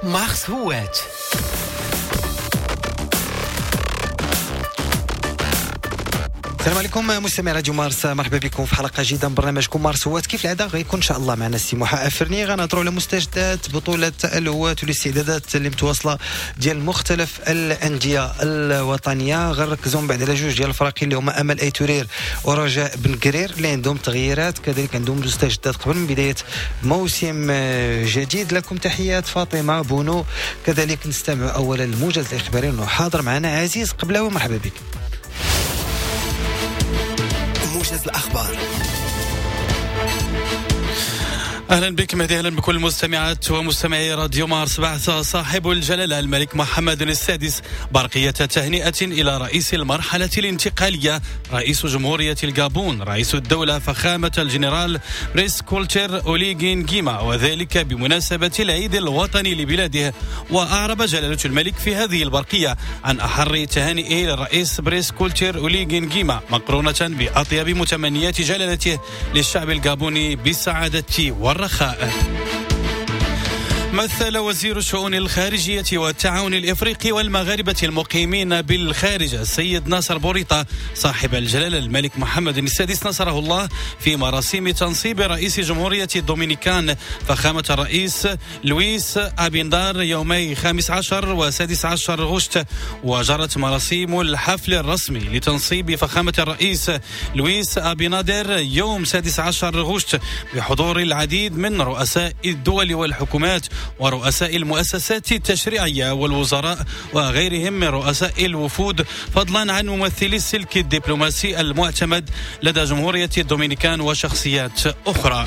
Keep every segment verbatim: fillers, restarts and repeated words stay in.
مارس هوات. السلام عليكم مستمعي راديو مارس، مرحبا بكم في حلقة جديدة من برنامجكم مارس هوات. كيف العادة غيكون ان شاء الله معنا السي محا افرني، غنهضروا على مستجدات بطوله الهوات والاستعدادات اللي متواصلة ديال مختلف الاندية الوطنية. غنركزوا من بعد على جوج ديال الفرق اللي هما امل ايتورير ورجاء بن قرير اللي عندهم تغييرات، كذلك عندهم مستجدات قبل من بداية موسم جديد. لكم تحيات فاطمة بونو. كذلك نستمع اولا للموجز الاخباري وحاضر معنا عزيز قبلاوي، مرحبا بك. موجز الأخبار. أهلا بك مهدي، أهلا بكل المستمعات ومستمعي راديو مارس. بعث صاحب الجلالة الملك محمد السادس برقية تهنئة إلى رئيس المرحلة الانتقالية رئيس جمهورية الجابون رئيس الدولة فخامة الجنرال بريس كولتر أوليغي نغيما، وذلك بمناسبة العيد الوطني لبلاده. وأعرب جلالة الملك في هذه البرقية عن أحر تهانئه للرئيس بريس كولتر أوليغي نغيما، مقرونة بأطيب متمنيات جلالته للشعب الجابوني بالسعادة والرخاء. مثل وزير الشؤون الخارجية والتعاون الإفريقي والمغاربة المقيمين بالخارج السيد ناصر بوريطة صاحب الجلالة الملك محمد السادس نصره الله في مراسيم تنصيب رئيس جمهورية الدومينيكان فخامة الرئيس لويس أبيندار يومي خامس عشر وسادس عشر غشت. وجرت مراسيم الحفل الرسمي لتنصيب فخامة الرئيس لويس أبينادر يوم سادس عشر غشت بحضور العديد من رؤساء الدول والحكومات ورؤساء المؤسسات التشريعية والوزراء وغيرهم من رؤساء الوفود، فضلا عن ممثلي السلك الدبلوماسي المعتمد لدى جمهورية الدومينيكان وشخصيات أخرى.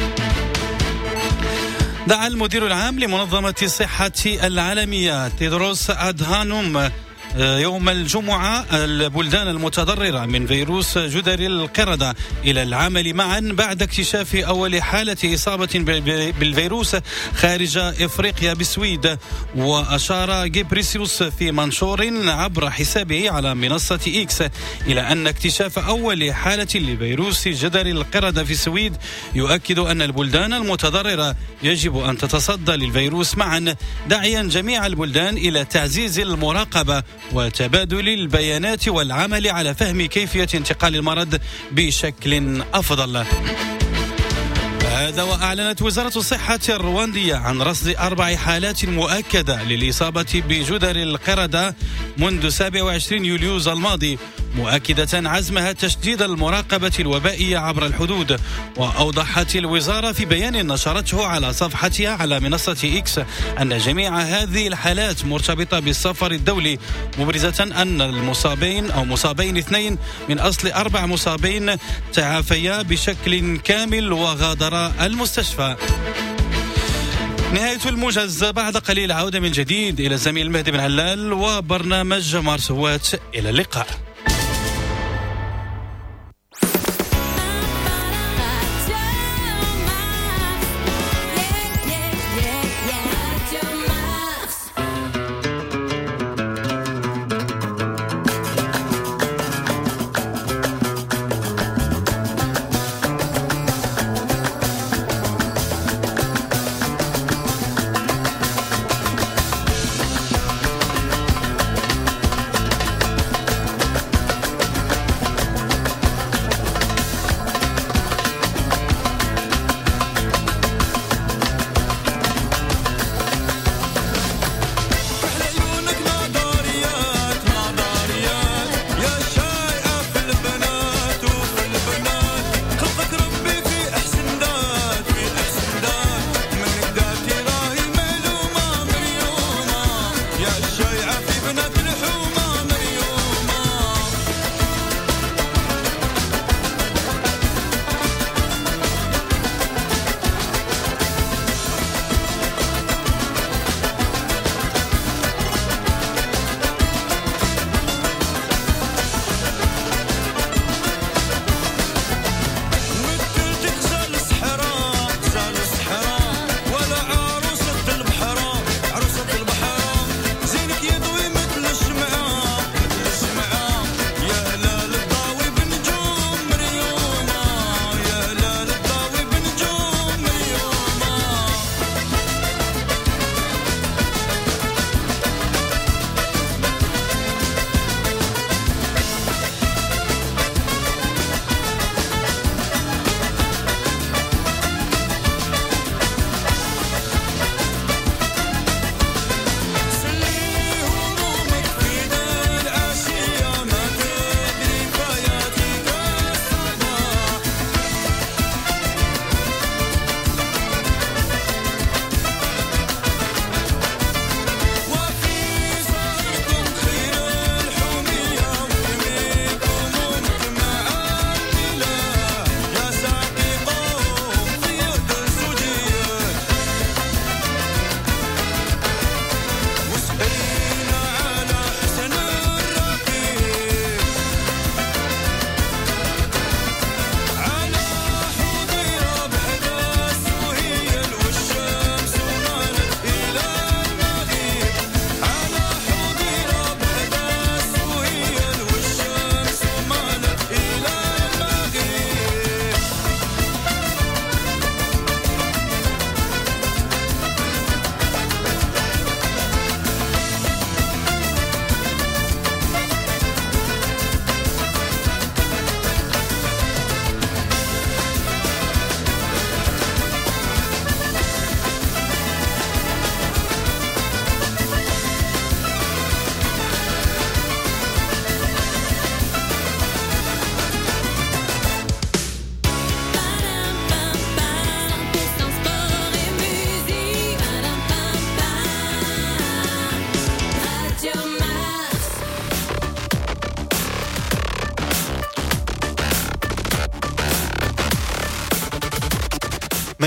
دعا المدير العام لمنظمة الصحة العالمية تيدروس أدهانوم يوم الجمعة البلدان المتضررة من فيروس جدري القردة إلى العمل معا بعد اكتشاف أول حالة إصابة بالفيروس خارج إفريقيا بالسويد. وأشار جبريسيوس في منشور عبر حسابه على منصة إكس إلى أن اكتشاف أول حالة لفيروس جدري القردة في السويد يؤكد أن البلدان المتضررة يجب أن تتصدى للفيروس معا، داعيا جميع البلدان إلى تعزيز المراقبة وتبادل البيانات والعمل على فهم كيفية انتقال المرض بشكل أفضل. هذا وأعلنت وزارة الصحة الرواندية عن رصد أربع حالات مؤكدة للإصابة بجدر القردة منذ سابع وعشرين يوليوز الماضي، مؤكدة عزمها تشديد المراقبة الوبائية عبر الحدود. وأوضحت الوزارة في بيان نشرته على صفحتها على منصة إكس أن جميع هذه الحالات مرتبطة بالسفر الدولي، مبرزة أن المصابين أو مصابين اثنين من أصل أربع مصابين تعافيا بشكل كامل وغادرا المستشفى. نهاية الموجز بعد قليل، عودة من جديد إلى الزميل المهدي بن علال وبرنامج مارس هوات. إلى اللقاء.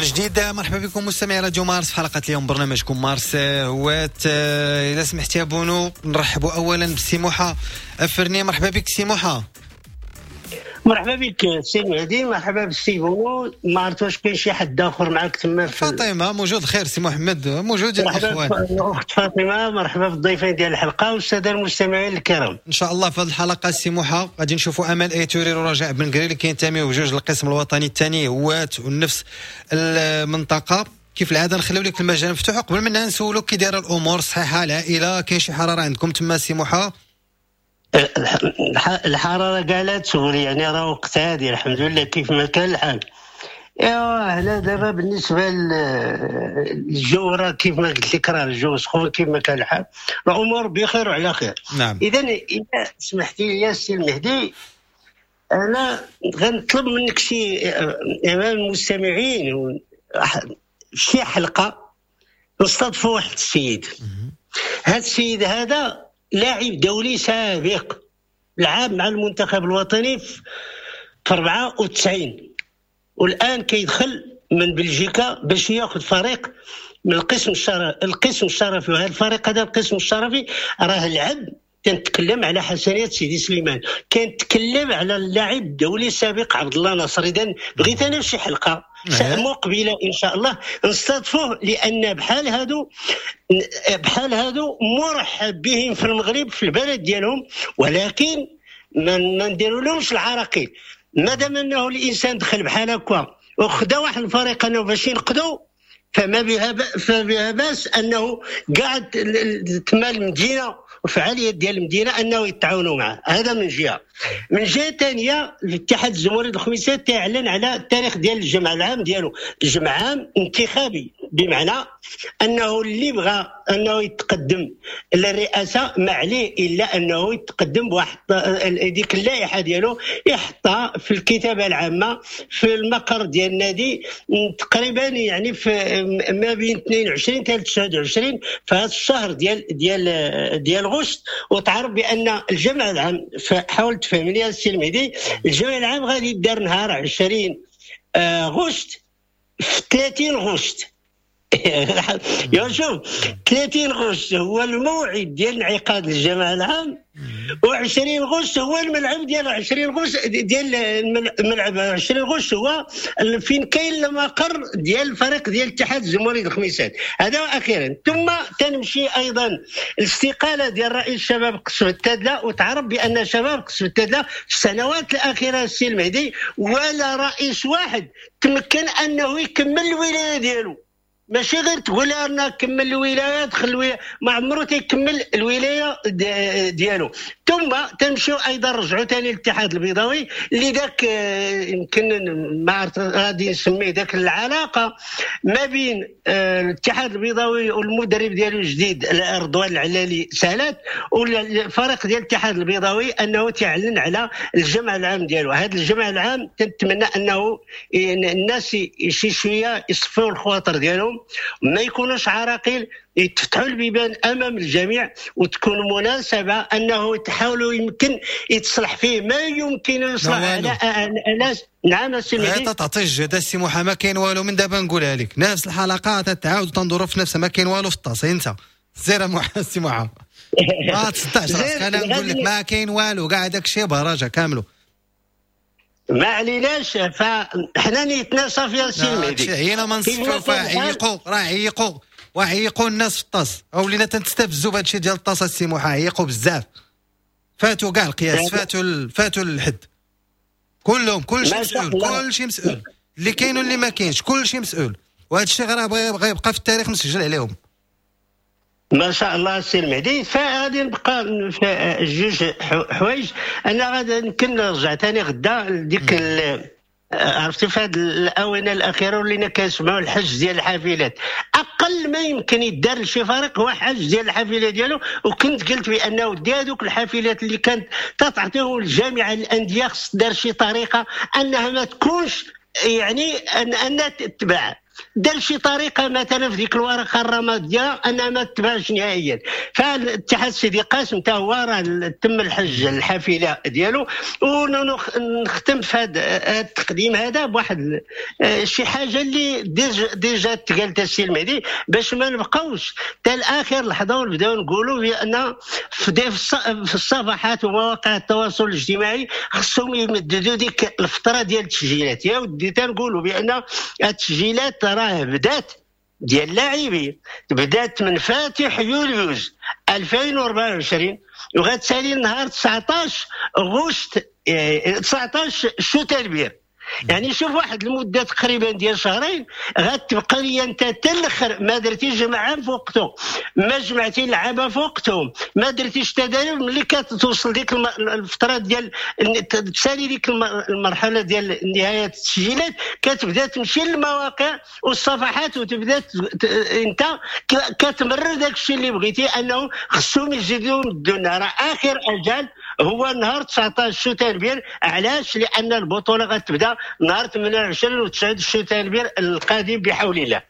جديد مرحبا بكم مستمعي راديو مارس في حلقة اليوم برنامجكم مارس هوات. اذا سمحتي يا بونو نرحبوا اولا بالسي موحى افرني. مرحبا بك سي موحى. مرحبا بك سي مهدي، مرحبا بالسي بونو. ما عرفت واش كاين شي حد اخر معاك تما؟ فاطمة موجود، خير سي محمد موجود. الاخوان اخت فاطمة مرحبا بالضيفين ديال الحلقة والسادة المستمعين الكرام. ان شاء الله في هذه الحلقة سي موحى غادي نشوفوا امل ايتورير ورجاء بن قرير اللي كينتميو بجوج للقسم الوطني الثاني هوات ونفس المنطقة. كيف العادة نخليو لك المجال مفتوح. قبل منها نسولوك كي دايرة الامور، صحيحه العائلة، كاين شي حرارة عندكم تما سي موحى؟ الحرارة قالت سوري يعني راه وقت هادي الحمد لله كيف ما كان الحال. ايوا هنا دابا بالنسبة للجو راه كيف ما قلت لك راه الجو سخون كيف ما كان الحال، الامور بخير وعلى خير. نعم. اذا اذا سمحتي لي يا سي المهدي انا غنطلب منك شي امام المستمعين شي حلقة نستضفوا واحد السيد. هذا السيد هذا لاعب دولي سابق، لعب مع المنتخب الوطني في أربعة وتسعين، والآن كيدخل من بلجيكا باش ياخذ فريق من القسم الشرفي. القسم الشرفي، وهذا الفريق هذا القسم الشرفي راه لعب. كنتكلم على حسنية سيدي سليمان، كنتكلم على اللاعب الدولي السابق عبد الله ناصر. اذا بغيت انا شي حلقة مقبله ان شاء الله نستضفوه، لان بحال هادو بحال هادو مرحب بهم في المغرب في البلد ديالهم، ولكن ما نديروا لهمش العراقيل. مادام انه الانسان دخل بحال هكا وخدا واحد الفريق انه باش ينقذوا، فما بها فبها باس انه قاعد تما المدينة وفعاليه ديال المدينة انه يتعاونوا معه. هذا من جهة. من جهة ثانية الاتحاد الجمهوري الخميسات تعلن على التاريخ ديال الجمع العام ديالو، الجمع عام انتخابي، بمعنى انه اللي بغى انه يتقدم للرئاسة ما عليه الا انه يتقدم بواحد ديك اللائحة ديالو يحطها في الكتابة العامة في المقر ديال النادي تقريبا، يعني في ما بين اثنين وعشرين حتى تسعة وعشرين في هذا الشهر ديال ديال ديال غشت. وتعرف بان الجمع العام، حاول تفهمني يا السي المهدي، الجمع العام غادي يدار نهار عشرين غشت في ثلاثين غشت. يا شوف ثلاثين غشت هو الموعد ديال انعقاد الجمع العام، وعشرين غشت هو الملعب ديال عشرين غشت ديال الملعب. عشرين غشت هو فين كاين المقر ديال الفريق ديال الاتحاد الجمهوري الخميسات. هذا اخيرا. ثم تنمشي ايضا الاستقالة ديال رئيس شباب قصبة التادلة، وتعرف بان شباب قصبة التادلة في السنوات الاخيرة السي المهدي ولا رئيس واحد تمكن انه يكمل الولاية ديالو. ماشي غير تقول انا كمل الولاية دخل الولاية، ما عمرو تيكمل الولاية ديالو. ثم تنمشيو ايضا رجعوا ثاني للاتحاد البيضاوي اللي ذاك يمكن ما عرفت غادي نسميه ذاك العلاقة ما بين الاتحاد البيضاوي والمدرب ديالو الجديد رضوان العلالي سالات، والفريق ديال الاتحاد البيضاوي انه تعلن على الجمع العام ديالو. هذا الجمع العام تنتمنى انه الناس شي شوية يصفوا الخواطر ديالهم، ما يكونوش عراقيل، يتفتحوا البيبان امام الجميع، وتكون مناسبة انه تحاولوا يمكن يتصلح فيه ما يمكن يصلح على الناس. نعم السي مهدي، تعطي الجهد السي موحى، ما كاين والو من دابا نقولها لك، نفس الحلقة تتعاود وتندوروا في نفسها، ما كاين والو في الطاس. انت سير موحى السي موحى ما تصدعش راسك، انا نقول لك ما كاين والو، كاع داك الشيء براجع كاملو ما عليناش. فحنا نيتنا صافية السي المهدي، عينا ما نصفوا فعيقوا، راه عيقوا وعيقوا الناس في الطاس، ولينا تنستفزوا بهذا الشيء ديال الطاس السي موحى، عيقوا بزاف، فاتوا كاع القياس، فاتوا ال... فاتوا الحد كلهم، كل شيء مسؤول، كل شيء مسؤول، اللي كاين واللي ما كاينش، كل شيء مسؤول، وهذا الشيء راه غيبقى في التاريخ مسجل عليهم. ما شاء الله السي المهدي. فغادي نبقى في جوج حوايج. انا غادي يمكن نرجع ثاني غدا لديك عرفتي في هذه الاونة الاخيرة ولينا كنسمعوا الحج ديال الحافلات. اقل ما يمكن يدار لشي فريق هو حج ديال الحافلة ديالو، وكنت قلت بانه دي هذوك الحافلات اللي كانت تعطيهم الجامعة للاندية خص دار شي طريقه انها ما تكونش يعني ان انها تتباع. دار شي طريقه مثلا في ديك الورقة الرمادية انها ما تباعش نهائيا. فالاتحاد سيدي قاسم حتى هو راه تم الحج الحافلة ديالو. ونختم في هذا التقديم هذا بواحد شي حاجة اللي déjà déjà تقالت السي المهدي، باش ما نبقاوش حتى لاخر لحظة ونبداو نقولوا بان في الصفحات ومواقع التواصل الاجتماعي خصهم يمددوا ديك الفترة ديال التسجيلات. يا ودي تنقولوا بان التسجيلات راه بدات ديال اللاعبين، بدات من فاتح يوليوز ألفين وأربعة وعشرين وغتسالي نهار تسعطاش غشت تسعطاش شتنبر. يعني شوف واحد المدة تقريبا ديال شهرين غتبقى لي انت حتى الاخر ما درتيش جمعان في وقته، ما جمعتي اللعابه في وقتهم، ما درتيش تداريب. ملي كتوصل ديك الفترة ديال تسالي ديك المرحلة ديال نهاية التسجيلات كتبدا تمشي للمواقع والصفحات وتبدا انت كتمرر داك الشيء اللي بغيتي انه خصهم يزيدوا يمدونا. راه اخر اجل هو نهار تسعطاش شتنبر. علاش؟ لان البطولة غتبدا نهار ثمانية وعشرين و تسعة شتنبر القادم بحول الله.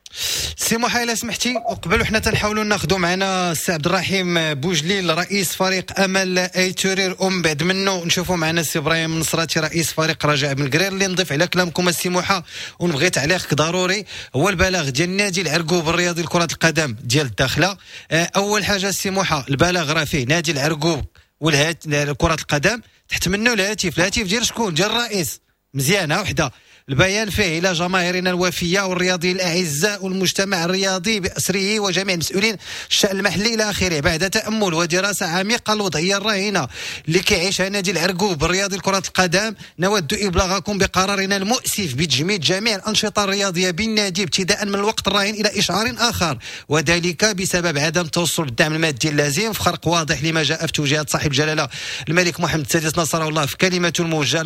سي محا الا سمحتي، وقبل وحنا تنحاولوا ناخذوا معنا السي عبد الرحيم بوجليل رئيس فريق امل ايتورير، ومن بعد منه نشوفوا معنا السي ابراهيم النصراتي رئيس فريق رجاء بن قرير. اللي نضيف على كلامكم السي محا ونبغي تعليقك ضروري هو البلاغ ديال النادي العرقوب الرياضي لكرة القدم ديال الداخلة. اول حاجة السي محا، البلاغ راه فيه نادي العرقوب والهات كرة القدم تحت منه الهاتف، الهاتف ديال شكون؟ ديال الرئيس. مزيانه وحده. البيان فيه إلى جماهيرنا الوفية والرياضيين الأعزاء والمجتمع الرياضي بأسره وجميع المسؤولين الشأن المحلي إلى آخره، بعد تأمل ودراسة عميقة الوضعية الراهنة اللي كيعيشها نادي العرقوب الرياضي لكرة القدم، نود إبلاغكم بقرارنا المؤسف بتجميد جميع الأنشطة الرياضية بالنادي ابتداء من الوقت الراهن إلى إشعار آخر، وذلك بسبب عدم التوصل بالدعم المادي اللازم، في خرق واضح لما جاء في توجيهات صاحب الجلالة الملك محمد السادس نصره الله في كلمته الموجهة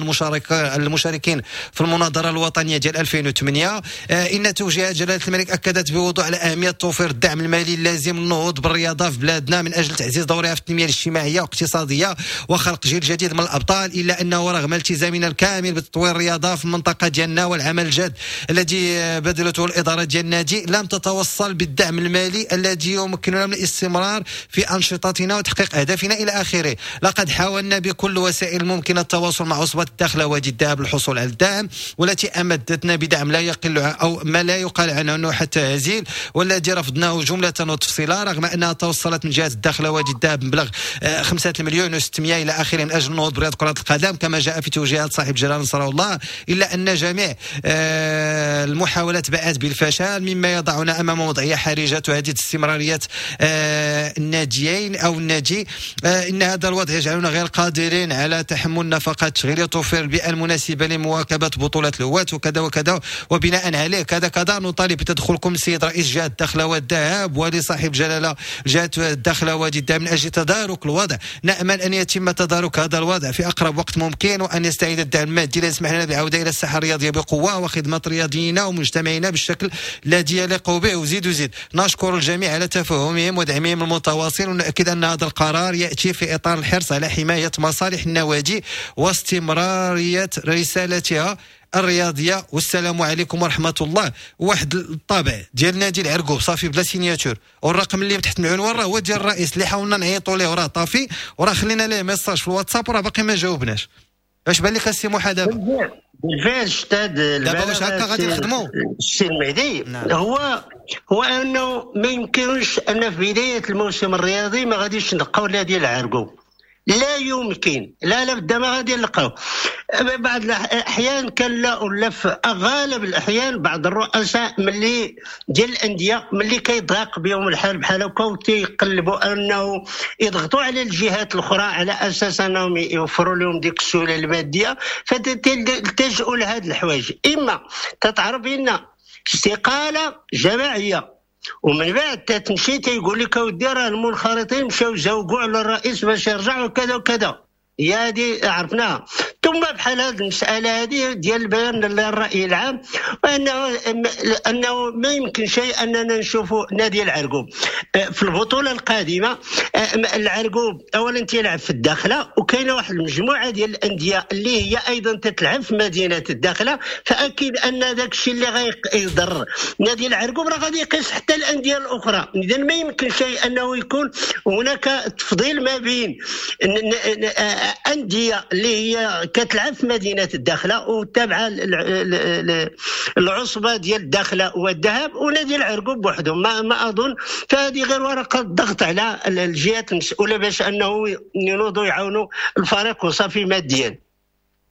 للمشاركين في المناظرة الوطنية ديال ألفين وثمانية. آه إن توجيهات جلالة الملك أكدت بوضوح على أهمية توفير الدعم المالي اللازم للنهوض بالرياضة في بلادنا من أجل تعزيز دورها في التنمية الاجتماعية والاقتصادية وخلق جيل جديد من الأبطال، إلا أنه رغم التزامنا الكامل بتطوير الرياضة في المنطقة ديالنا والعمل الجاد الذي بذلته الإدارة ديال النادي، لم تتوصل بالدعم المالي الذي يمكننا من الاستمرار في أنشطتنا وتحقيق أهدافنا إلى آخره. لقد حاولنا بكل وسائل الممكنة التواصل مع عصبة الداخلة وادي الذهب للحصول على الدعم، والتي أمدتنا بدعم لا يقل أو ما لا يقال عنه أنه حتى هزيل، والذي رفضناه جملة وتفصيلا، رغم أنها توصلت من جهة الداخلة وادي الذهب مبلغ خمسة مليون وستمائة إلى آخره من أجل النهوض برياض كرة القدم كما جاء في توجيهات صاحب جلالة نصره الله، إلا أن جميع المحاولات باءت بالفشل، مما يضعنا أمام وضعية حرجة تهدد استمرارية الناديين أو النادي. إن هذا الوضع يجعلنا غير قادرين على تحمل نفقات تشغيلية وتوفير البيئة المناسبة لمواكبة بطولة الهواة وكذا وكذا، وبناء عليه كذا كذا نطالب بتدخلكم السيد رئيس جهة الداخلة والذهب ولصاحب جلالة جهة الداخلة وادي الذهب من أجل تدارك الوضع. نأمل أن يتم تدارك هذا الوضع في أقرب وقت ممكن، وأن يستعيد الدعم المادي ليسمح لنا بالعودة إلى الساحة الرياضية بقوة وخدمة رياضينا ومجتمعنا بالشكل الذي يليق به. وزيد وزيد نشكر الجميع على تفهمهم ودعمهم المتواصل، ونؤكد أن هذا القرار يأتي في إطار الحرص على حماية مصالح النوادي واستمرارية رسالتها الرياضية. والسلام عليكم ورحمة الله. واحد الطابع ديال نادي العرقوب صافي بلا signature، والرقم اللي تحت العنوان راه هو ديال الرئيس اللي حاولنا نعيطوا ليه وراه طافي، وراه خلينا ليه message في الواتساب وراه باقي ما جاوبناش. اش بان لك السي موحى دابا؟ بالفعل استاذ، دابا واش هكا غادي نخدموا السي المهدي؟ نعم. هو هو انه ما يمكنش ان في بداية الموسم الرياضي ما غاديش نلقاو نادي العرقوب، لا يمكن، لا لا بد ما غادي نلقاو. بعض الاحيان كان لا ولا في غالب الاحيان بعض الرؤساء ملي ديال الاندية ملي كيضاق بهم الحال بحال هكا وتيقلبوا انه يضغطوا على الجهات الاخرى على اساس انهم يوفروا لهم ديك السهولة المادية، فتلتجئوا لهاد الحوايج. اما تتعرف ان استقالة جماعية ومن بعد تتمشي تيقول لك اودي راه المنخرطين مشاو زوقوا على الرئيس باش يرجع وكذا وكذا، هي هذه عرفناها. ثم ثم بحال هذه المسالة هذه ديال البيان للراي العام، وانه انه ما يمكن شيء اننا نشوفوا نادي العرقوب في البطولة القادمة. العرقوب اولا تيلعب في الداخلة، وكاينه واحد المجموعة ديال الاندية اللي هي ايضا تتلعب في مدينة الداخلة، فاكيد ان داك الشيء اللي غيضر نادي العرقوب راه غادي يقيس حتى الاندية الاخرى. اذا ما يمكن شيء انه يكون هناك تفضيل ما بين اندية اللي هي كتلعب في مدينة الداخلة وتابعه العصبة ديال الداخلة والذهب ونادي العرقوب بوحدهم. ما, ما اظن، فهذه غير ورقة ضغط على الجهات المسؤولة باش انه ينوضوا يعاونوا الفريق وصافي ماديا.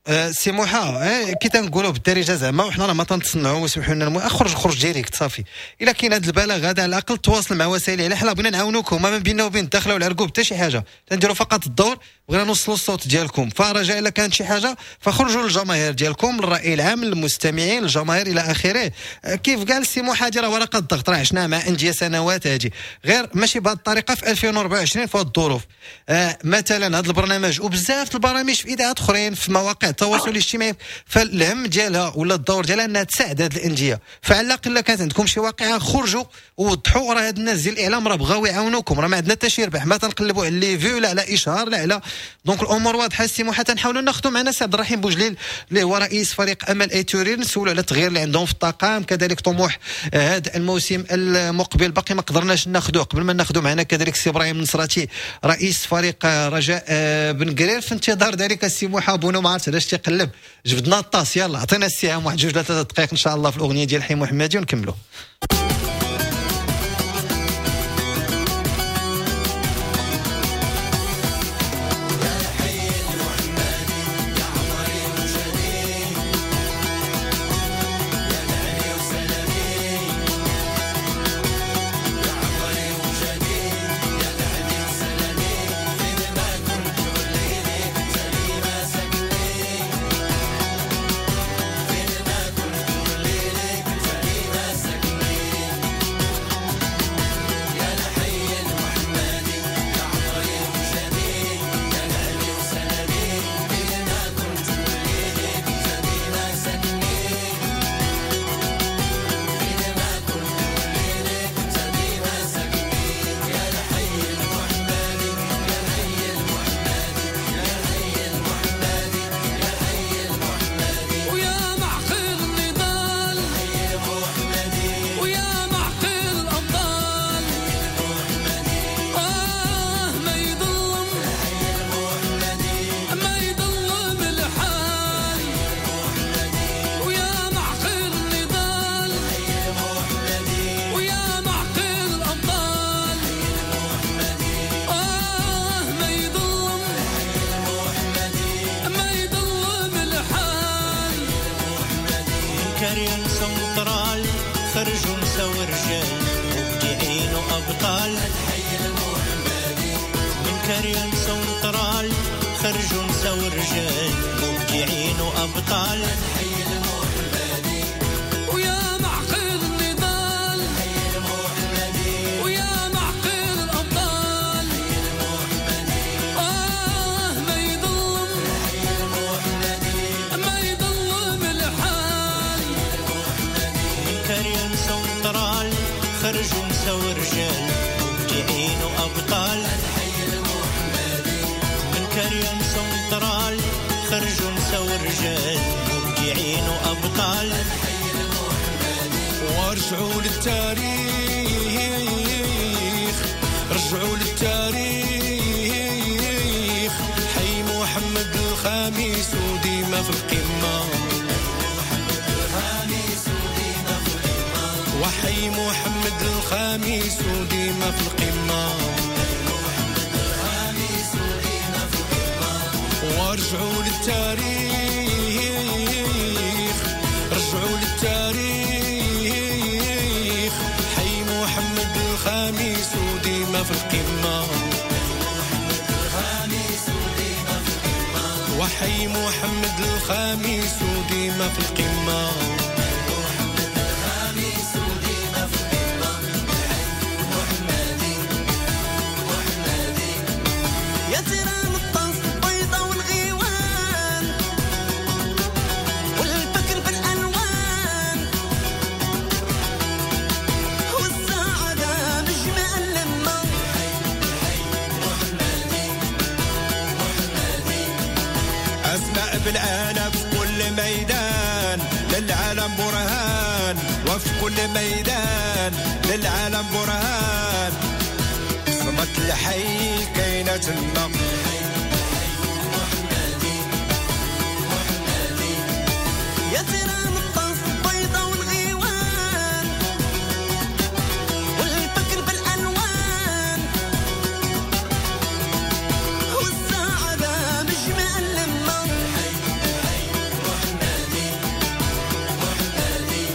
أه سي موحى، كي تنقولوا بالدارجة زعما وحنا راه ما تنتصنعوا وسمحوا لنا، اخرج خرج direct صافي. الا كاين هذا البلاغ هذا على الاقل تواصل مع وسائل الاعلام، حنا بغينا نعاونوكم، ما بيننا وبين الداخلة والعرقوب حتى شي حاجة، تنديروا فقط الدور، بغينا نوصلوا الصوت ديالكم. فرجاء الا كانت شي حاجة فخرجوا للجماهير ديالكم، للراي العام، للمستمعين، للجماهير الى اخره. كيف قال سي موحى، هذه راه ورقة الضغط، راه عشناها مع اندية سنوات هذه، غير ماشي بهذه الطريقة في ألفين وأربعة وعشرين في هذه الظروف. آه مثلا هذا البرنامج وبزاف البرامج في اذاعات اخرين في مواقع التواصل الاجتماعي، فالهم ديالها ولا الدور ديالها انها تساعد هذه الاندية. فعلى الاقل كانت عندكم شي واقعه خرجوا ووضحوا، راه هاد الناس ديال الاعلام راه بغاو يعاونوكم، راه ما عندنا حتى شي ربح، ما تنقلبوا على les vues لا على اشهار لا على. donc الامور واضحة السي موحى. تنحاولوا ناخذوا معنا سي عبد الرحيم بوجليل اللي هو رئيس فريق امل ايتوري، نسولوا على التغيير اللي عندهم في الطاقم، كذلك طموح هذا الموسم المقبل باقي ما قدرناش ناخذوه. قبل ما ناخذوا معنا كذلك سي ابراهيم النصراتي رئيس فريق رجاء بن قرير. في انتظار ذلك السي موحى بونو ما عرفت علاش تيقلب، جبدنا الطاس، يلا عطينا السهام واحد جوج ثلاثة دقائق ان شاء الله في الاغنية ديال حي محمدي ونكملوا. خرجوا نساو رجال مبدعين وابطال الحي المحمدي. من كاريان سنترال خرجوا نساو رجال مبدعين وابطال الحي المحمدي. ويا معقل النضال الحي المحمدي، ويا معقل الابطال الحي المحمدي. اه ما يظلم الحي المحمدي، ما يظلم الحال المحمدي. من كاريان سنترال خرجوا نساو رجال مبدعين وابطال الحي المحمدي. من كاريان سنترال خرجوا نساو رجال مبدعين وابطال الحي المحمدي. ورجعوا للتاريخ، رجعوا للتاريخ، حي محمد الخامس وديما في القمه. وحي محمد الخامس وديما في القمة. ورجعوا للتاريخ، رجعوا للتاريخ، حي محمد الخامس وديما في القمة. وحي محمد الخامس وديما في القمة. يا تيران الطنس البيضة والغيوان، بالآلاف في كل ميدان للعالم برهان، وفي كل ميدان للعالم برهان. صمت الحي كاينة تما محمدي محمدي يا تيران الطاس البيضا والغيوان والفكر بالألوان والسعادة مجمع اللمة. الحي محمدي محمدي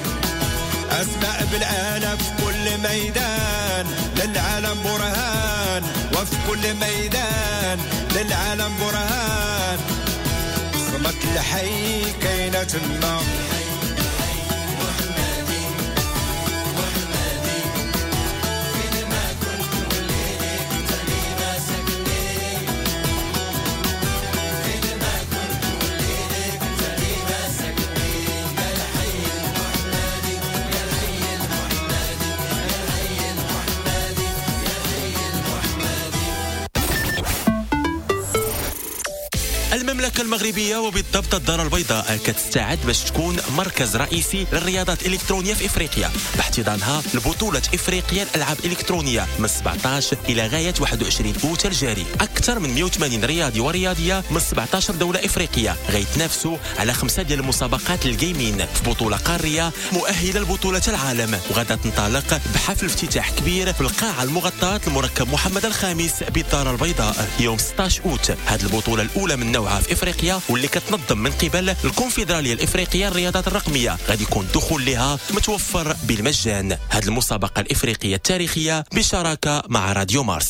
أسماء بالآلاف في كل ميدان للعالم برهان، وفي كل ميدان للعالم برهان. صمت الحي كاينة تما محمدي محمدي فين ما كنت وليدي كنت ديما ساكني، فين ما كنت وليدي كنت ديما ساكني. يا الحي المحمدي يا الحي المحمدي يا الحي المحمدي يا الحي المحمدي. المملكة المغربية وبالضبط الدار البيضاء كتستعد باش تكون مركز رئيسي للرياضات الإلكترونية في إفريقيا باحتضانها لبطولة إفريقيا الألعاب الإلكترونية من سبعطاش إلى غاية واحد وعشرين أوت الجاري. أكثر من مئة وثمانين رياضي ورياضية من سبعطاش دولة إفريقية غيتنافسوا على خمسة ديال المسابقات ال gaming في بطولة قارية مؤهلة لبطولة العالم، وغادا تنطلق بحفل افتتاح كبير في القاعة المغطاة المركب محمد الخامس بالدار البيضاء يوم ستة عشر أوت. هذه البطولة الأولى من نوعها في افريقيا واللي كتنظم من قبل الكونفدراليه الافريقية للرياضات الرقمية، غادي يكون الدخول لها متوفر بالمجان. هذه المسابقة الافريقية التاريخية بشراكه مع راديو مارس.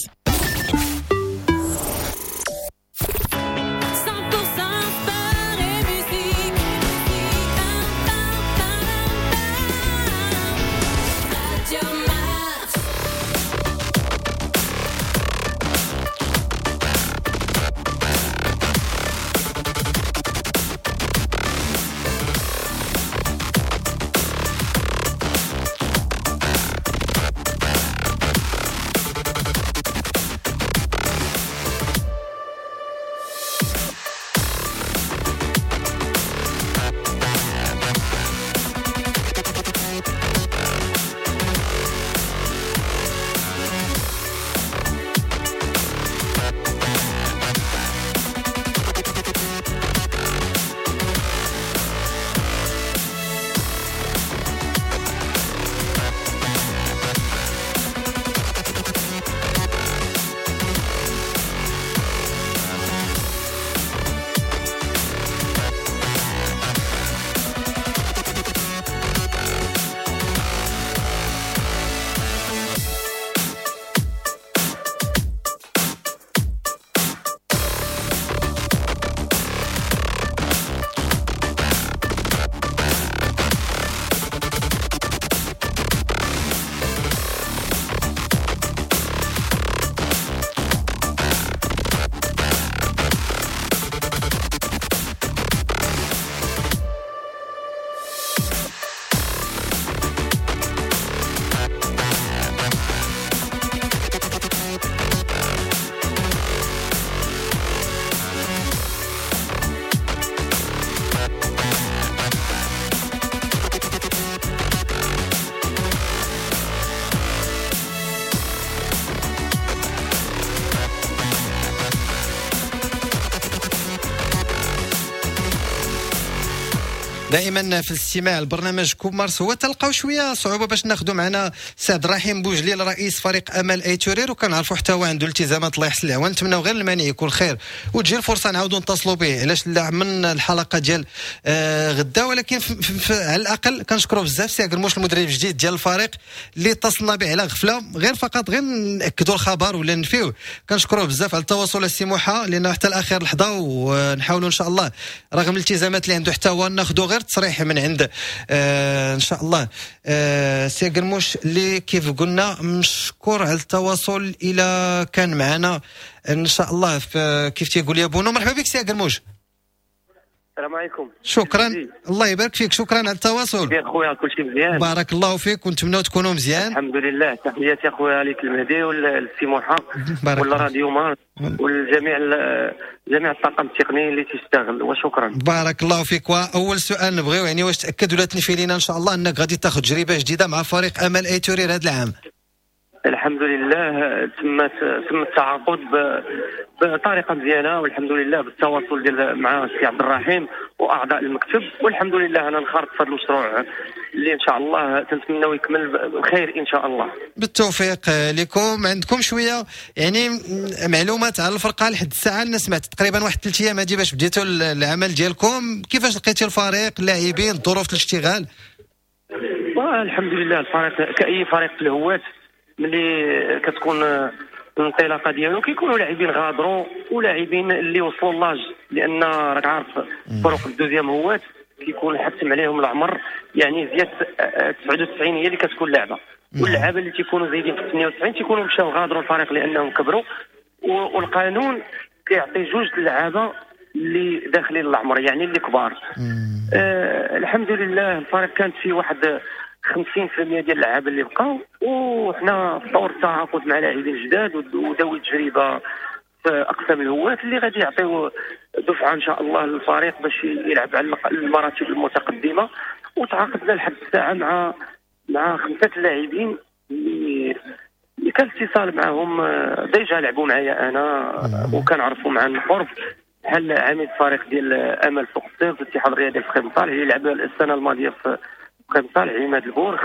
دائما في الاستماع لبرنامج كوب مارس هو تلقاو شوية صعوبة باش ناخذوا معنا سعد رحيم بوجليل رئيس فريق امل ايتورير، وكنعرفوا حتى هو عنده التزامات الله يحسن العوان. نتمناو غير المانع يكون خير وتجي الفرصة نعاودوا نتصلوا به، علاش لا، من الحلقة ديال آه غدا. ولكن على الاقل كنشكروا بزاف سي قرموش المدرب الجديد ديال الفريق اللي اتصلنا به على غفلة، غير فقط غير ناكدوا الخبر ولا نفيوه. كنشكروه بزاف على التواصل السي موحى، لانه حتى الاخير لحظة، ونحاولوا ان شاء الله رغم الالتزامات اللي عنده حتى هو ناخذوا غير تصريح من عند آه ان شاء الله آه سي قرموش اللي كيف قلنا مشكور على التواصل الى كان معنا ان شاء الله. كيف تيقول يا بونو، مرحبا بك سي قرموش. السلام عليكم. شكرا، الله يبارك فيك، شكرا على التواصل. بخير خويا، كلشي مزيان. بارك الله فيك ونتمنوا تكونوا مزيان. الحمد لله، تحياتي اخويا ليك المهدي والسي موحى ولا راديو مارس والجميع جميع الطاقم التقني اللي تشتغل، وشكرا. بارك الله فيك. واول سؤال نبغيو يعني واش تاكد ولا تنفي لينا ان شاء الله انك غادي تاخذ تجربه جديدة مع فريق امل آيت اورير هذا العام؟ الحمد لله تم تم التعاقد بطريقة مزيانه والحمد لله بالتواصل ديال مع السي عبد الرحيم واعضاء المكتب، والحمد لله انا انخرطت في هذا المشروع اللي ان شاء الله تنتمناو يكمل بخير ان شاء الله. بالتوفيق لكم. عندكم شوية يعني معلومات على الفرقة لحد الساعة؟ انا سمعت تقريبا واحد ثلاث ايام هذه باش بديتوا العمل ديالكم، كيفاش لقيتي الفريق، اللاعبين، ظروف الاشتغال؟ الحمد لله الفريق كاي فريق في الهواة ملي كتكون الانطلاقة ديالو كيكونوا لاعبين غادروا ولاعبين اللي وصلوا l'âge، لان راك عارف فرق ال deuxième هوات كيكون حتم عليهم العمر، يعني زيادة تسعة وتسعين هي اللي كتكون لعبه، واللعابه اللي تيكونوا زايدين في ثمانية وتسعين تيكونوا مشاو غادروا الفريق لانهم كبروا، والقانون كيعطي جوج اللعابه اللي داخلين العمر يعني اللي كبار. آه الحمد لله الفريق كانت فيه واحد خمسين بالمية ديال اللعابه اللي بقاو، وحنا في طور التعاقد مع لاعبين جداد وذوي تجربه في اقسام الهواة اللي غادي يعطيو دفعه ان شاء الله للفريق باش يلعب على المراتب المتقدمة. وتعاقدنا لحد الساعة مع مع خمسة اللاعبين اللي اللي كان اتصال معاهم déjà لعبوا معايا انا وكنعرفوا مع القرب، بحال عميد الفريق ديال امل سوق الصيف الاتحاد الرياضي الفقيه بن صالح اللي لعب السنة الماضية في فقيه بن صالح، عماد البورخ،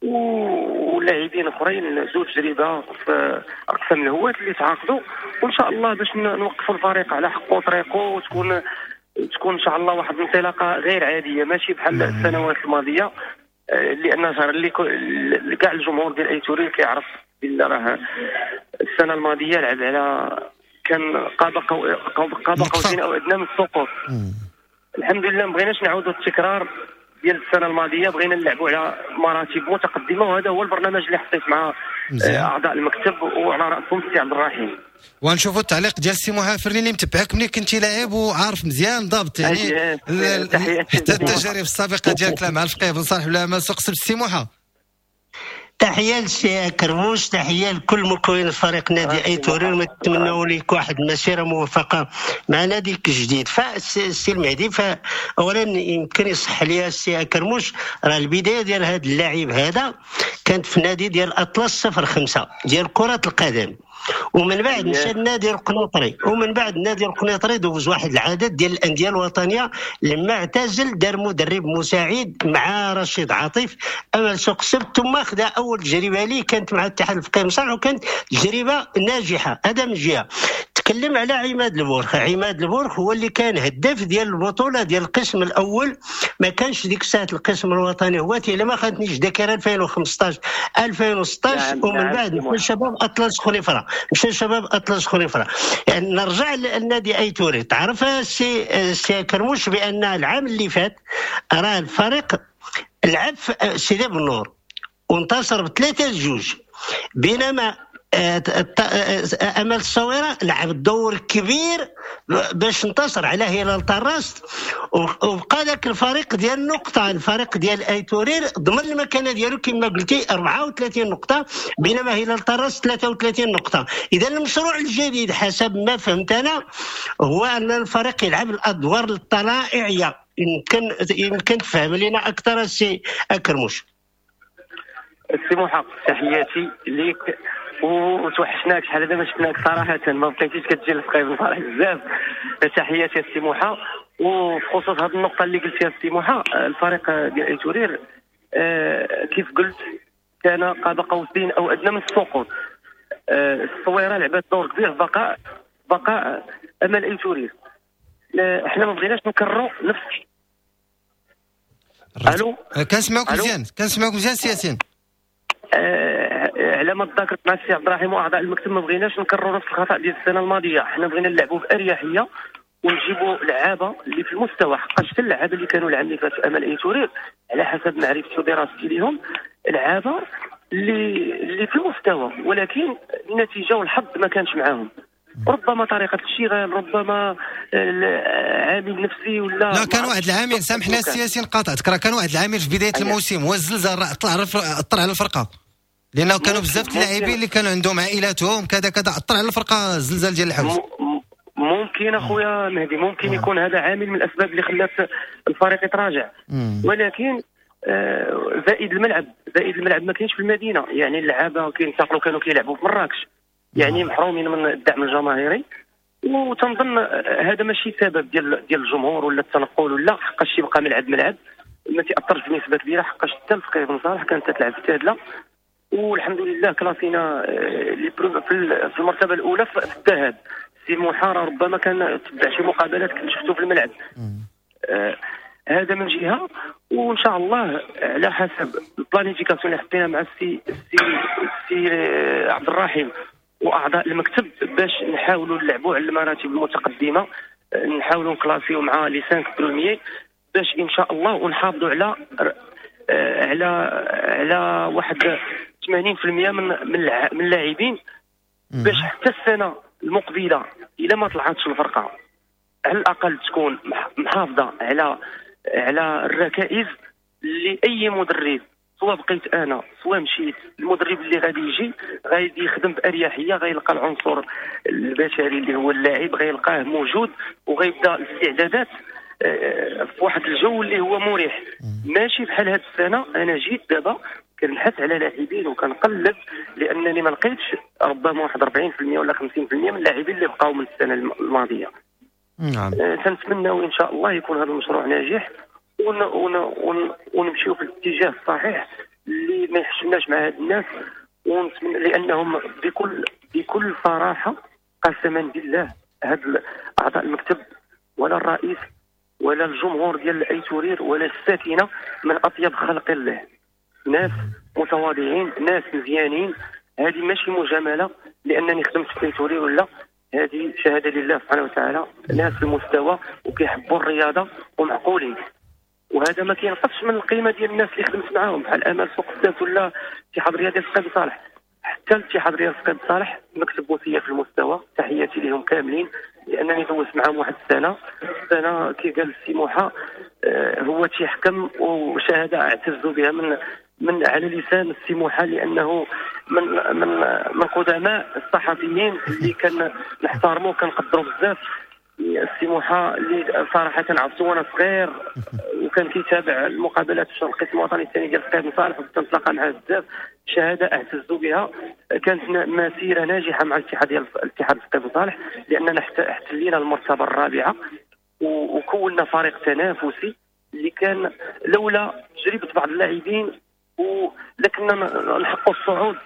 ولاعبين اخرين ذو تجربه في اقسام الهواة اللي تعاقدوا، وان شاء الله باش نوقفوا الفريق على حقه وطريقه وتكون تكون ان شاء الله واحد الانطلاقة غير عادية ماشي بحال السنوات الماضية، لان صار اللي كاع الجمهور ديال آيت اورير كيعرف بلي راه السنة الماضية لعب على كان قاب قاب قوسين او ادنى من السقوط. الحمد لله ما بغيناش نعاودوا التكرار ديال السنة الماضية، بغينا نلعبوا على مراتب متقدمة، وهذا هو البرنامج اللي حطيت مع اعضاء المكتب وعلى راسهم السي عبد الرحيم. ونشوفوا التعليق ديال السي موحى فرني اللي متبعك ملي كنتي لاعب وعارف مزيان ضابط يعني حتى التجارب السابقة ديالك لا مع الفقيه بن صالح ولا مع سوق السبت. السي موحى تحية للسي كرموش، تحية لكل مكونين الفريق نادي آيت اورير، ونتمنوا لك واحد المسيرة موفقة مع ناديك الجديد. فالسي المهدي، فاولا يمكن يصح لي السي كرموش، راه البداية ديال هذا اللاعب هذا كانت في نادي ديال اطلس صفر خمسة ديال كره القدم، ومن بعد مشى لنادي القنيطري، ومن بعد نادي القنيطري دوز واحد العدد ديال الاندية الوطنية. لما اعتزل دار مدرب مساعد مع رشيد عاطف امل سوق السبت، ثم خدا اول تجربه ليه كانت مع الاتحاد الفقيه بن صالح وكانت تجربه ناجحة. هذا من جهة. تكلم على عماد البورخ، عماد البورخ هو اللي كان هداف ديال البطولة ديال القسم الاول، ما كانش ديك الساعة القسم الوطني هو الا ما خانتنيش ذاكره ألفين وخمسطاش ألفين وستطاش. نعم ومن نعم بعد مشى شباب اطلس خنيفره، مشى شباب اطلس خنيفره. يعني نرجع للنادي آيت اورير. تعرف السي سي كرموش بان العام اللي فات راه الفريق لعب في سيدي بنور وانتصر بثلاثة جوج، بينما امل الصويره لعب دور كبير باش انتصر على هلال طراست، وبقى ذاك الفريق ديال النقطة، الفريق ديال آيت اورير ضمن المكانة ديالو كما قلتي أربعة وثلاثين نقطة، بينما هلال طراست ثلاثة وثلاثين نقطة. اذا المشروع الجديد حسب ما فهمت انا هو ان الفريق يلعب الادوار الطلائعيه. يمكن يمكن تفهم لنا اكثر السي اكرموش؟ السي محق، تحياتي ليك وتوحشناك شحال هذا ما شفناك صراحة، ما بقيتيش كتجي للفقيه بن صالح بزاف. تحياتي السي موحى. وبخصوص هذه النقطة اللي قلتيها السي موحى، الفريق ديال آيت اورير آه كيف قلت كان قاب قوسين او ادنى من السقوط. آه الصويره لعبت دور كبير في بقاء بقاء امل آيت اورير. احنا ما بغيناش نكرروا نفس. الو كنسمعوك مزيان، كنسمعوك مزيان سي ياسين. آه على ما تذاكرت مع السي عبد الرحيم واعضاء المكتب ما بغيناش نكرروا نفس الخطا ديال السنة الماضية. حنا بغينا نلعبوا باريحية ونجيبوا لعابه اللي في المستوى، حقاش حتى اللعابه اللي كانوا العام اللي فات في امل آيت اورير على حسب معرفتي ودراستي ليهم لعابه اللي اللي في المستوى، ولكن النتيجة والحظ ما كانش معاهم. ربما طريقه الاشتغال، ربما عامل نفسي ولا لا. كان واحد العامل، سامحنا السياسي نقاطعتك، راه كان واحد العامل في بداية الموسم هو الزلزال، راه طلع اثر على الفرقة، لانه كانوا بزاف اللاعبين اللي كانوا عندهم عائلاتهم كذا كذا، اثر على الفرقة الزلزال ديال الحوز. ممكن اخويا مهدي، ممكن يكون هذا عامل من الاسباب اللي خلات الفريق يتراجع، ولكن آه زائد الملعب، زائد الملعب ما كاينش في المدينة، يعني اللعابه كينتقلوا كانوا كيلعبوا في مراكش، يعني محرومين من الدعم الجماهيري. وتنظن هذا ماشي سبب ديال ديال الجمهور ولا التنقل ولا، حقاش يبقى ملعب ملعب ما تاثرش بنسبة كبيرة، حقاش حتى الفقيه بن صالح كانت تلعب في تادله، والحمد لله كلاسينا في المرتبة الاولى في الذهاب. سي محارة ربما كان تبع شي مقابلات كنت شفتو في الملعب. آه هذا من جهة، وان شاء الله على حسب ال planification اللي حطينا مع السي السي السي عبد الرحيم واعضاء المكتب باش نحاولوا نلعبوا على المراتب المتقدمة، نحاولوا نكلاسيو مع les cinq premiers باش ان شاء الله ونحافظوا على على على واحد ثمانين بالمئة من من اللاعبين، باش حتى السنة المقبلة الا ما طلعتش الفرقة على الاقل تكون محافظة على على الركائز اللي اي مدرب، سواء بقيت انا سواء مشيت، المدرب اللي غادي يجي غادي يخدم باريحية، غيلقى العنصر البشري اللي هو اللاعب غيلقاه موجود، وغيبدا الاستعدادات في واحد الجو اللي هو مريح. ماشي بحال هاد السنة انا جيت دابا كنبحث على لاعبين وكنقلب، لانني ما لقيتش ربما واحد أربعين بالمئة ولا خمسين بالمئة من اللاعبين اللي بقاو من السنة الماضية. نعم. تنتمناو ان شاء الله يكون هذا المشروع ناجح ون ون ون ونمشيو في الاتجاه الصحيح اللي ما يحشمناش مع هاد الناس، ونتمنى لانهم بكل بكل صراحة قسما بالله هاد اعضاء المكتب ولا الرئيس ولا الجمهور ديال اي تورير ولا الساكنة من اطيب خلق الله، ناس متواضعين، ناس مزيانين. هذه ماشي مجاملة لانني خدمت في اي تورير ولا، هذه شهادة لله سبحانه وتعالى، ناس في المستوى وكيحبوا الرياضة ومعقولين، وهذا ما كينقصش من القيمة ديال الناس اللي خدمت معاهم بحال امال سوق السبت ولا الاتحاد الرياضي الفقيه بن صالح. حتى الاتحاد الرياضي الفقيه بن صالح مكتب وصية في المستوى، تحياتي لهم كاملين لانني دوزت معاهم واحد السنة السنة كي قال السي موحى هو تيحكم، وشهادة اعتز بها من من على لسان السي موحى، لانه من من من قدماء الصحفيين اللي كان نحترموه كنقدروا بزاف. السي موحى اللي صراحة عرفتو وانا صغير وكان كيتابع المقابلات في القسم الوطني الثاني ديال الفقيه بن صالح، وكنت نتلاقى معاه بزاف، شهادة اعتز بها. كانت مسيره ناجحة مع الاتحاد ديال الاتحاد الفقيه بن صالح، لاننا احتلينا المرتبة الرابعة وكونا فريق تنافسي اللي كان لولا تجربه بعض اللاعبين ولكننا نحققوا الصعود.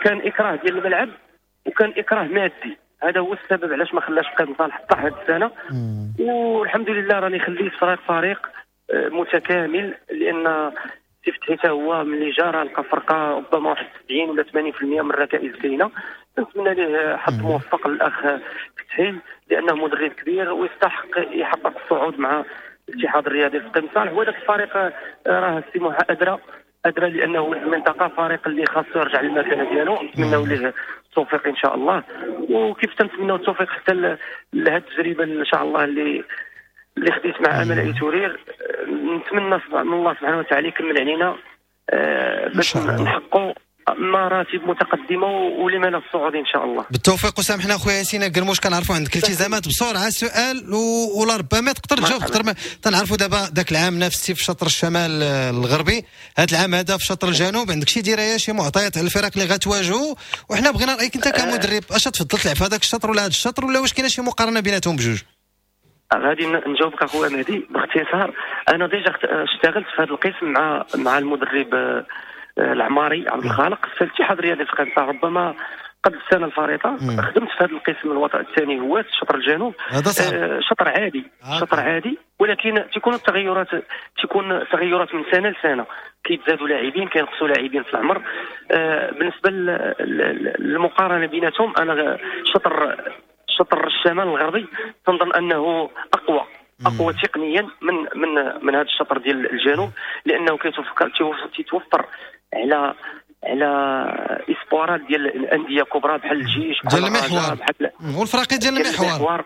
كان اكراه ديال الملعب وكان اكراه مادي، هذا هو السبب علاش ما خلاش فقيه بن صالح طاح هذه السنة. والحمد لله راني خليت فريق فريق متكامل، لان سي فتحي حتى هو ملي جا راه لقى فرقه ربما واحد سبعين ولا ثمانين بالمئة من الركائز كاينه. نتمنى ليه حظ موفق للاخ فتحي، لانه مدرب كبير ويستحق يحقق الصعود مع الاتحاد الرياضي الفقيه بن صالح. وهذاك الفريق راه السي موحى ادرى ادرى لانه ولد المنطقة، فريق اللي خاصو يرجع للمكانه ديالو. نتمناو ليه التوفيق ان شاء الله، وكيف تنتمناو التوفيق حتى لهذه التجربة ان شاء الله اللي اللي خديت مع امل اي تورير. نتمنى من الله سبحانه وتعالى يكمل علينا باش نحققوا مراتب متقدمة ولما لا الصعود ان شاء الله. بالتوفيق. وسامحنا خويا ياسين قرموش، كنعرفوا عندك التزامات، بسرعة سؤال ولا ربما تقدر تجاوب اكثر. تنعرفوا دابا ذاك العام نفسي في شطر الشمال الغربي، هذا العام هذا في شطر الجنوب، عندك شي دراية شي معطيات على الفرق اللي غتواجهوا؟ وحنا بغينا رايك انت كمدرب، اش تفضل تلعب في هذاك الشطر ولا هذا الشطر، ولا واش كاينه شي مقارنة بيناتهم بجوج؟ غادي نجاوبك اخويا مهدي باختصار. انا déjà اشتغلت في هذا القسم مع مع المدرب العماري عبد الخالق في الاتحاد الرياضي الفقيه بن صالح، ربما قبل السنة الفارطه خدمت في هذا القسم الوطني الثاني هو شطر الجنوب. آه شطر عادي، شطر عادي، ولكن تكون التغيرات تكون تغيرات من سنة لسنه، كيتزادوا لاعبين كينقصوا لاعبين في العمر. آه بالنسبة للمقارنه بيناتهم، انا شطر شطر الشمال الغربي تنظن انه اقوى اقوى تقنيا من من من هذا الشطر ديال الجنوب، لانه كيتوفر تيتوفر على على espoir ات ديال الاندية الكبرى بحال الجيش، ديال المحور بحال والفراقي ديال المحور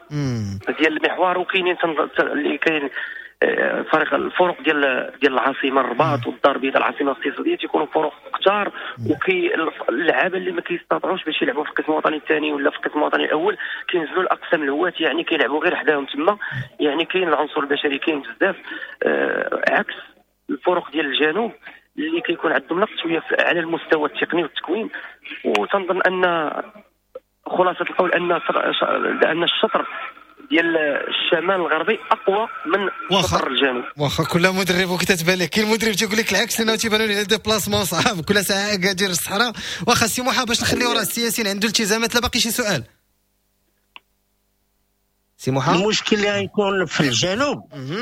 ديال المحور، وكاينين اللي كاين فريق الفرق ديال ديال العاصمة الرباط والدار البيضاء العاصمة الاقتصادية، تيكونوا فرق كثار، وكي اللعابه اللي ما كيستطيعوش باش يلعبوا في القسم الوطني الثاني ولا في القسم الوطني الاول كينزلوا لاقسام الهواة، يعني كيلعبوا غير حداهم تما، يعني كاين العنصر البشري كاين بزاف، آه عكس الفرق ديال الجنوب اللي كيكون عندهم نقص شوية على المستوى التقني والتكوين. وتنظن ان خلاصه القول ان ان الشطر ديال الشمال الغربي اقوى من شطر الجنوب. واخا كل مدرب وكتتبان لك، كاين مدرب تيقول لك العكس لانه تيبانوا ليه déplacements صعاب كل ساعة كادير الصحراء. واخا سي موحى باش نخليو راه السياسيين عنده التزامات، لا باقي شي سؤال سي موحى؟ المشكل اللي غيكون في الجنوب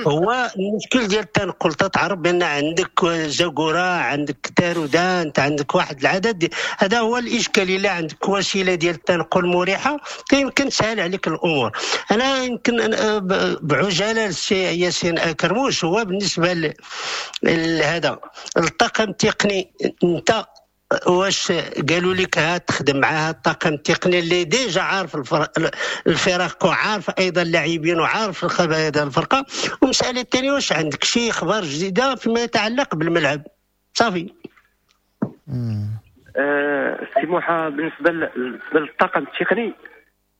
هو المشكل ديال التنقل. تتعرف بان عندك زاكورة، عندك تارودان، انت عندك واحد العدد، هذا هو الاشكال. الا عندك وسيلة ديال التنقل مريحه يمكن تسهل عليك الامور. انا يمكن بعجاله السي ياسين كرموش، هو بالنسبة لهذا الطاقم التقني، انت واش قالوا لك ها تخدم معها الطاقم التقني اللي déjà عارف الفرق وعارف ايضا اللاعبين وعارف الخبايا ديال الفرقة؟ والمسالة الثانية، واش عندك شي اخبار جديدة فيما يتعلق بالملعب؟ صافي. سي موحى، بالنسبة للطاقم التقني،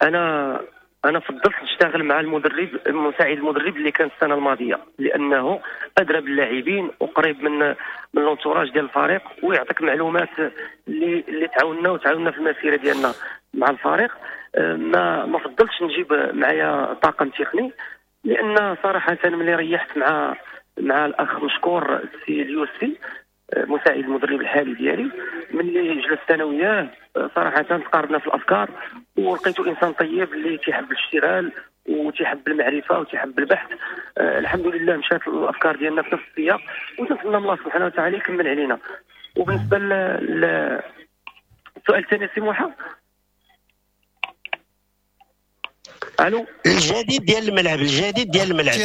انا انا فضلت نشتغل مع المدرب المساعد المدرب اللي كان السنة الماضية، لانه ادرى باللاعبين وقريب من من l'entourage ديال الفريق، ويعطيك معلومات اللي اللي تعاوننا وتعاوننا في المسيرة ديالنا مع الفريق. ما ما فضلتش نجيب معايا طاقم تقني، لان صراحة ملي ريحت مع مع الاخ مشكور السي اليوسفي مساعد المدرب الحالي ديالي، ملي جلست انا وياه صراحة تقاربنا في الافكار، ولقيته انسان طيب اللي تيحب الاشتغال وتيحب المعرفة وتيحب البحث. آه الحمد لله مشات الافكار ديالنا في نفس السياق، وتنتمنى من الله سبحانه وتعالى يكمل علينا. وبالنسبة للسؤال الثاني سي موحى، الو، الجديد ديال الملعب، الجديد ديال الملعب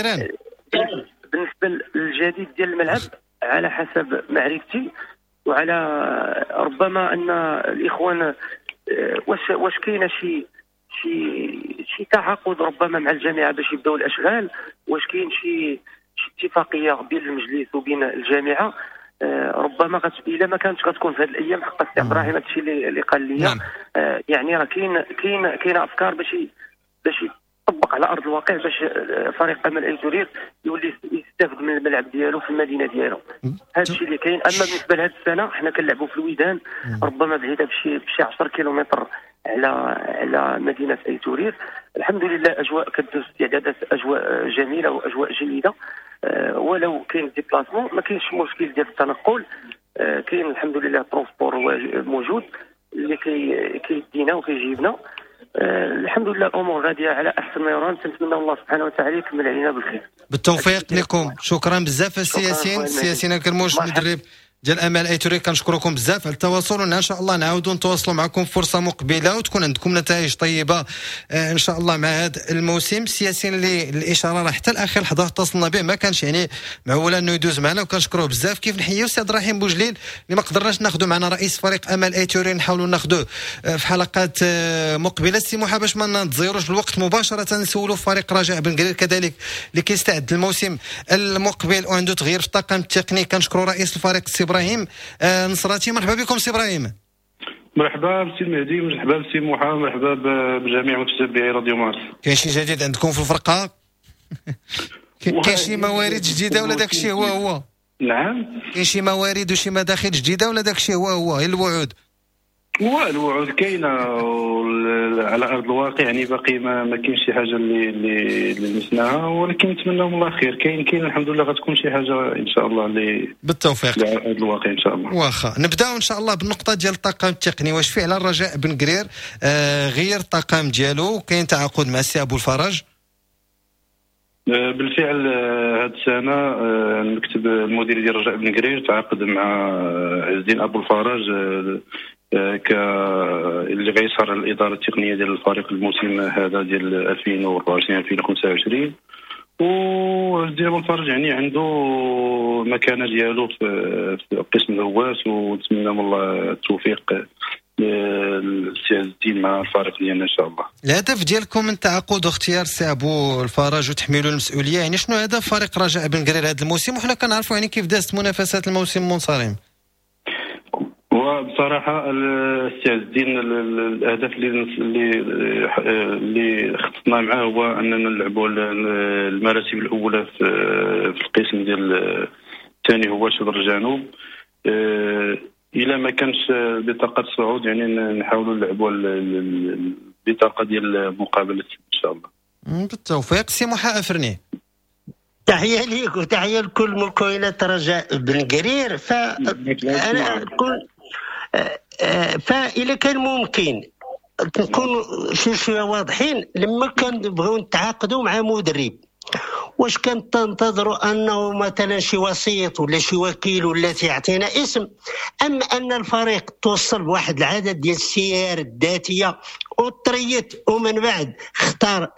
بالنسبة للجديد ديال الملعب على حسب معرفتي وعلى ربما ان الاخوان واش واش كاينه شي شي شي تعاقد ربما مع الجامعة باش يبداو الاشغال، واش كاين شي شي اتفاقية بين المجلس وبين الجامعة، ربما غت... الا ما كانتش غتكون في هذه الايام حق السي عبد الرحيم هادشي اللي, اللي قال لي. نعم. يعني راه كاين كاين كاين افكار باش باش يطبق على ارض الواقع باش فريق امل ايت اورير يولي يستافد من الملعب ديالو في المدينة ديالو. هذا الشيء اللي كاين. اما بالنسبة لهذه السنة حنا كنلعبوا في الويدان، ربما بعيدة بشي بشي عشرة كيلومتر على على مدينة ايت اورير. الحمد لله اجواء كدوز استعدادات، اجواء جميلة واجواء جيدة، أه ولو كاين déplacement ما كاينش مشكل ديال التنقل، أه كاين الحمد لله transport موجود اللي كي كيدينا وكيجيبنا. أه الحمد لله الامور غادية على احسن ما يرام، تنتمنى الله سبحانه وتعالى يكمل علينا بالخير. بالتوفيق لكم. شكرا بزاف السي ياسين، السي ياسين كرموش المدرب ديال امل ايت اورير، كنشكركم بزاف على التواصل، وان شاء الله نعاودوا نتواصلوا معكم فرصة مقبله وتكون عندكم نتائج طيبة ان شاء الله مع هذا الموسم. السياسيين اللي الاشارة راه حتى الاخر لحظة اتصلنا به ما كانش يعني معول انه يدوز معنا، وكنشكروه بزاف. كيف نحيوا السي عبد الرحيم بوجليل اللي ما قدرناش ناخذوا معنا رئيس فريق امل ايت اورير، نحاولوا ناخذوه في حلقات مقبله. السي موحى باش ما نتزيروش بالوقت مباشرة نسولوا فريق رجاء بن قرير كذلك اللي كيستعد الموسم المقبل وعنده تغيير في الطاقم التقني. كنشكروا رئيس الفريق السي ابراهيم آه نصراتي. مرحبا بكم سي ابراهيم. مرحبا بسي المهدي، مرحبا بسي موحى، مرحبا بجميع متتبعي راديو مارس. كاين شي جديد عندكم في الفرقة؟ كاين شي موارد جديدة ولا داك الشيء هو هو؟ نعم، كاين شي موارد وشي مداخل جديدة ولا داك الشيء هو هو؟ غير الوعود. الوعود كاينه على ارض الواقع، يعني باقي ما, ما كاينش شي حاجة اللي اللي لمسناها، ولكن نتمنى من الله خير. كاين كاين الحمد لله غتكون شي حاجة ان شاء الله اللي بالتوفيق على ارض الواقع ان شاء الله. واخا نبداو ان شاء الله بالنقطة ديال الطاقم التقني. واش فعلا رجاء بن قرير آه غير الطاقم ديالو، كاين تعاقد مع السي ابو الفرج؟ بالفعل هذه السنة المكتب المديري ديال رجاء بن قرير تعاقد مع عز الدين ابو الفرج ك اللي غيسهر الادارة التقنية ديال الفريق الموسم هذا ديال ألفين وأربعة وعشرين ألفين وخمسة وعشرين. وعز الدين ابو الفرج يعني عنده مكانه ديالو في في قسم الهواة، ونتمنى من الله التوفيق للسي عز الدين مع الفريق ديالنا ان شاء الله. الهدف ديالكم من تعاقد واختيار السي ابو الفرج وتحميله المسؤولية، يعني شنو هدف فريق رجاء بن قرير هذا الموسم؟ وحنا كنعرفوا يعني كيف دازت منافسات الموسم المنصرم. وبصراحة السي عز الدين الاهداف اللي اللي اللي خططنا معاه هو اننا نلعبوا المراتب الاولى في في القسم ديال الثاني هو شبر الجنوب. الا ما كانش بطاقة الصعود يعني نحاولوا نلعبوا البطاقة ديال مقابله ان شاء الله. بالتوفيق سي محا افرني. تحية ليك وتحية لكل مكونات رجاء بن قرير. فانا كل فإذا كان ممكن نكون شي شوية واضحين، لما كنبغيو نتعاقدوا مع مدرب واش كنتنتظروا انه مثلا شي وسيط ولا شي وكيل ولا تيعطينا اسم، ام ان الفريق توصل بواحد العدد ديال السيار الذاتية وطريت ومن بعد اختار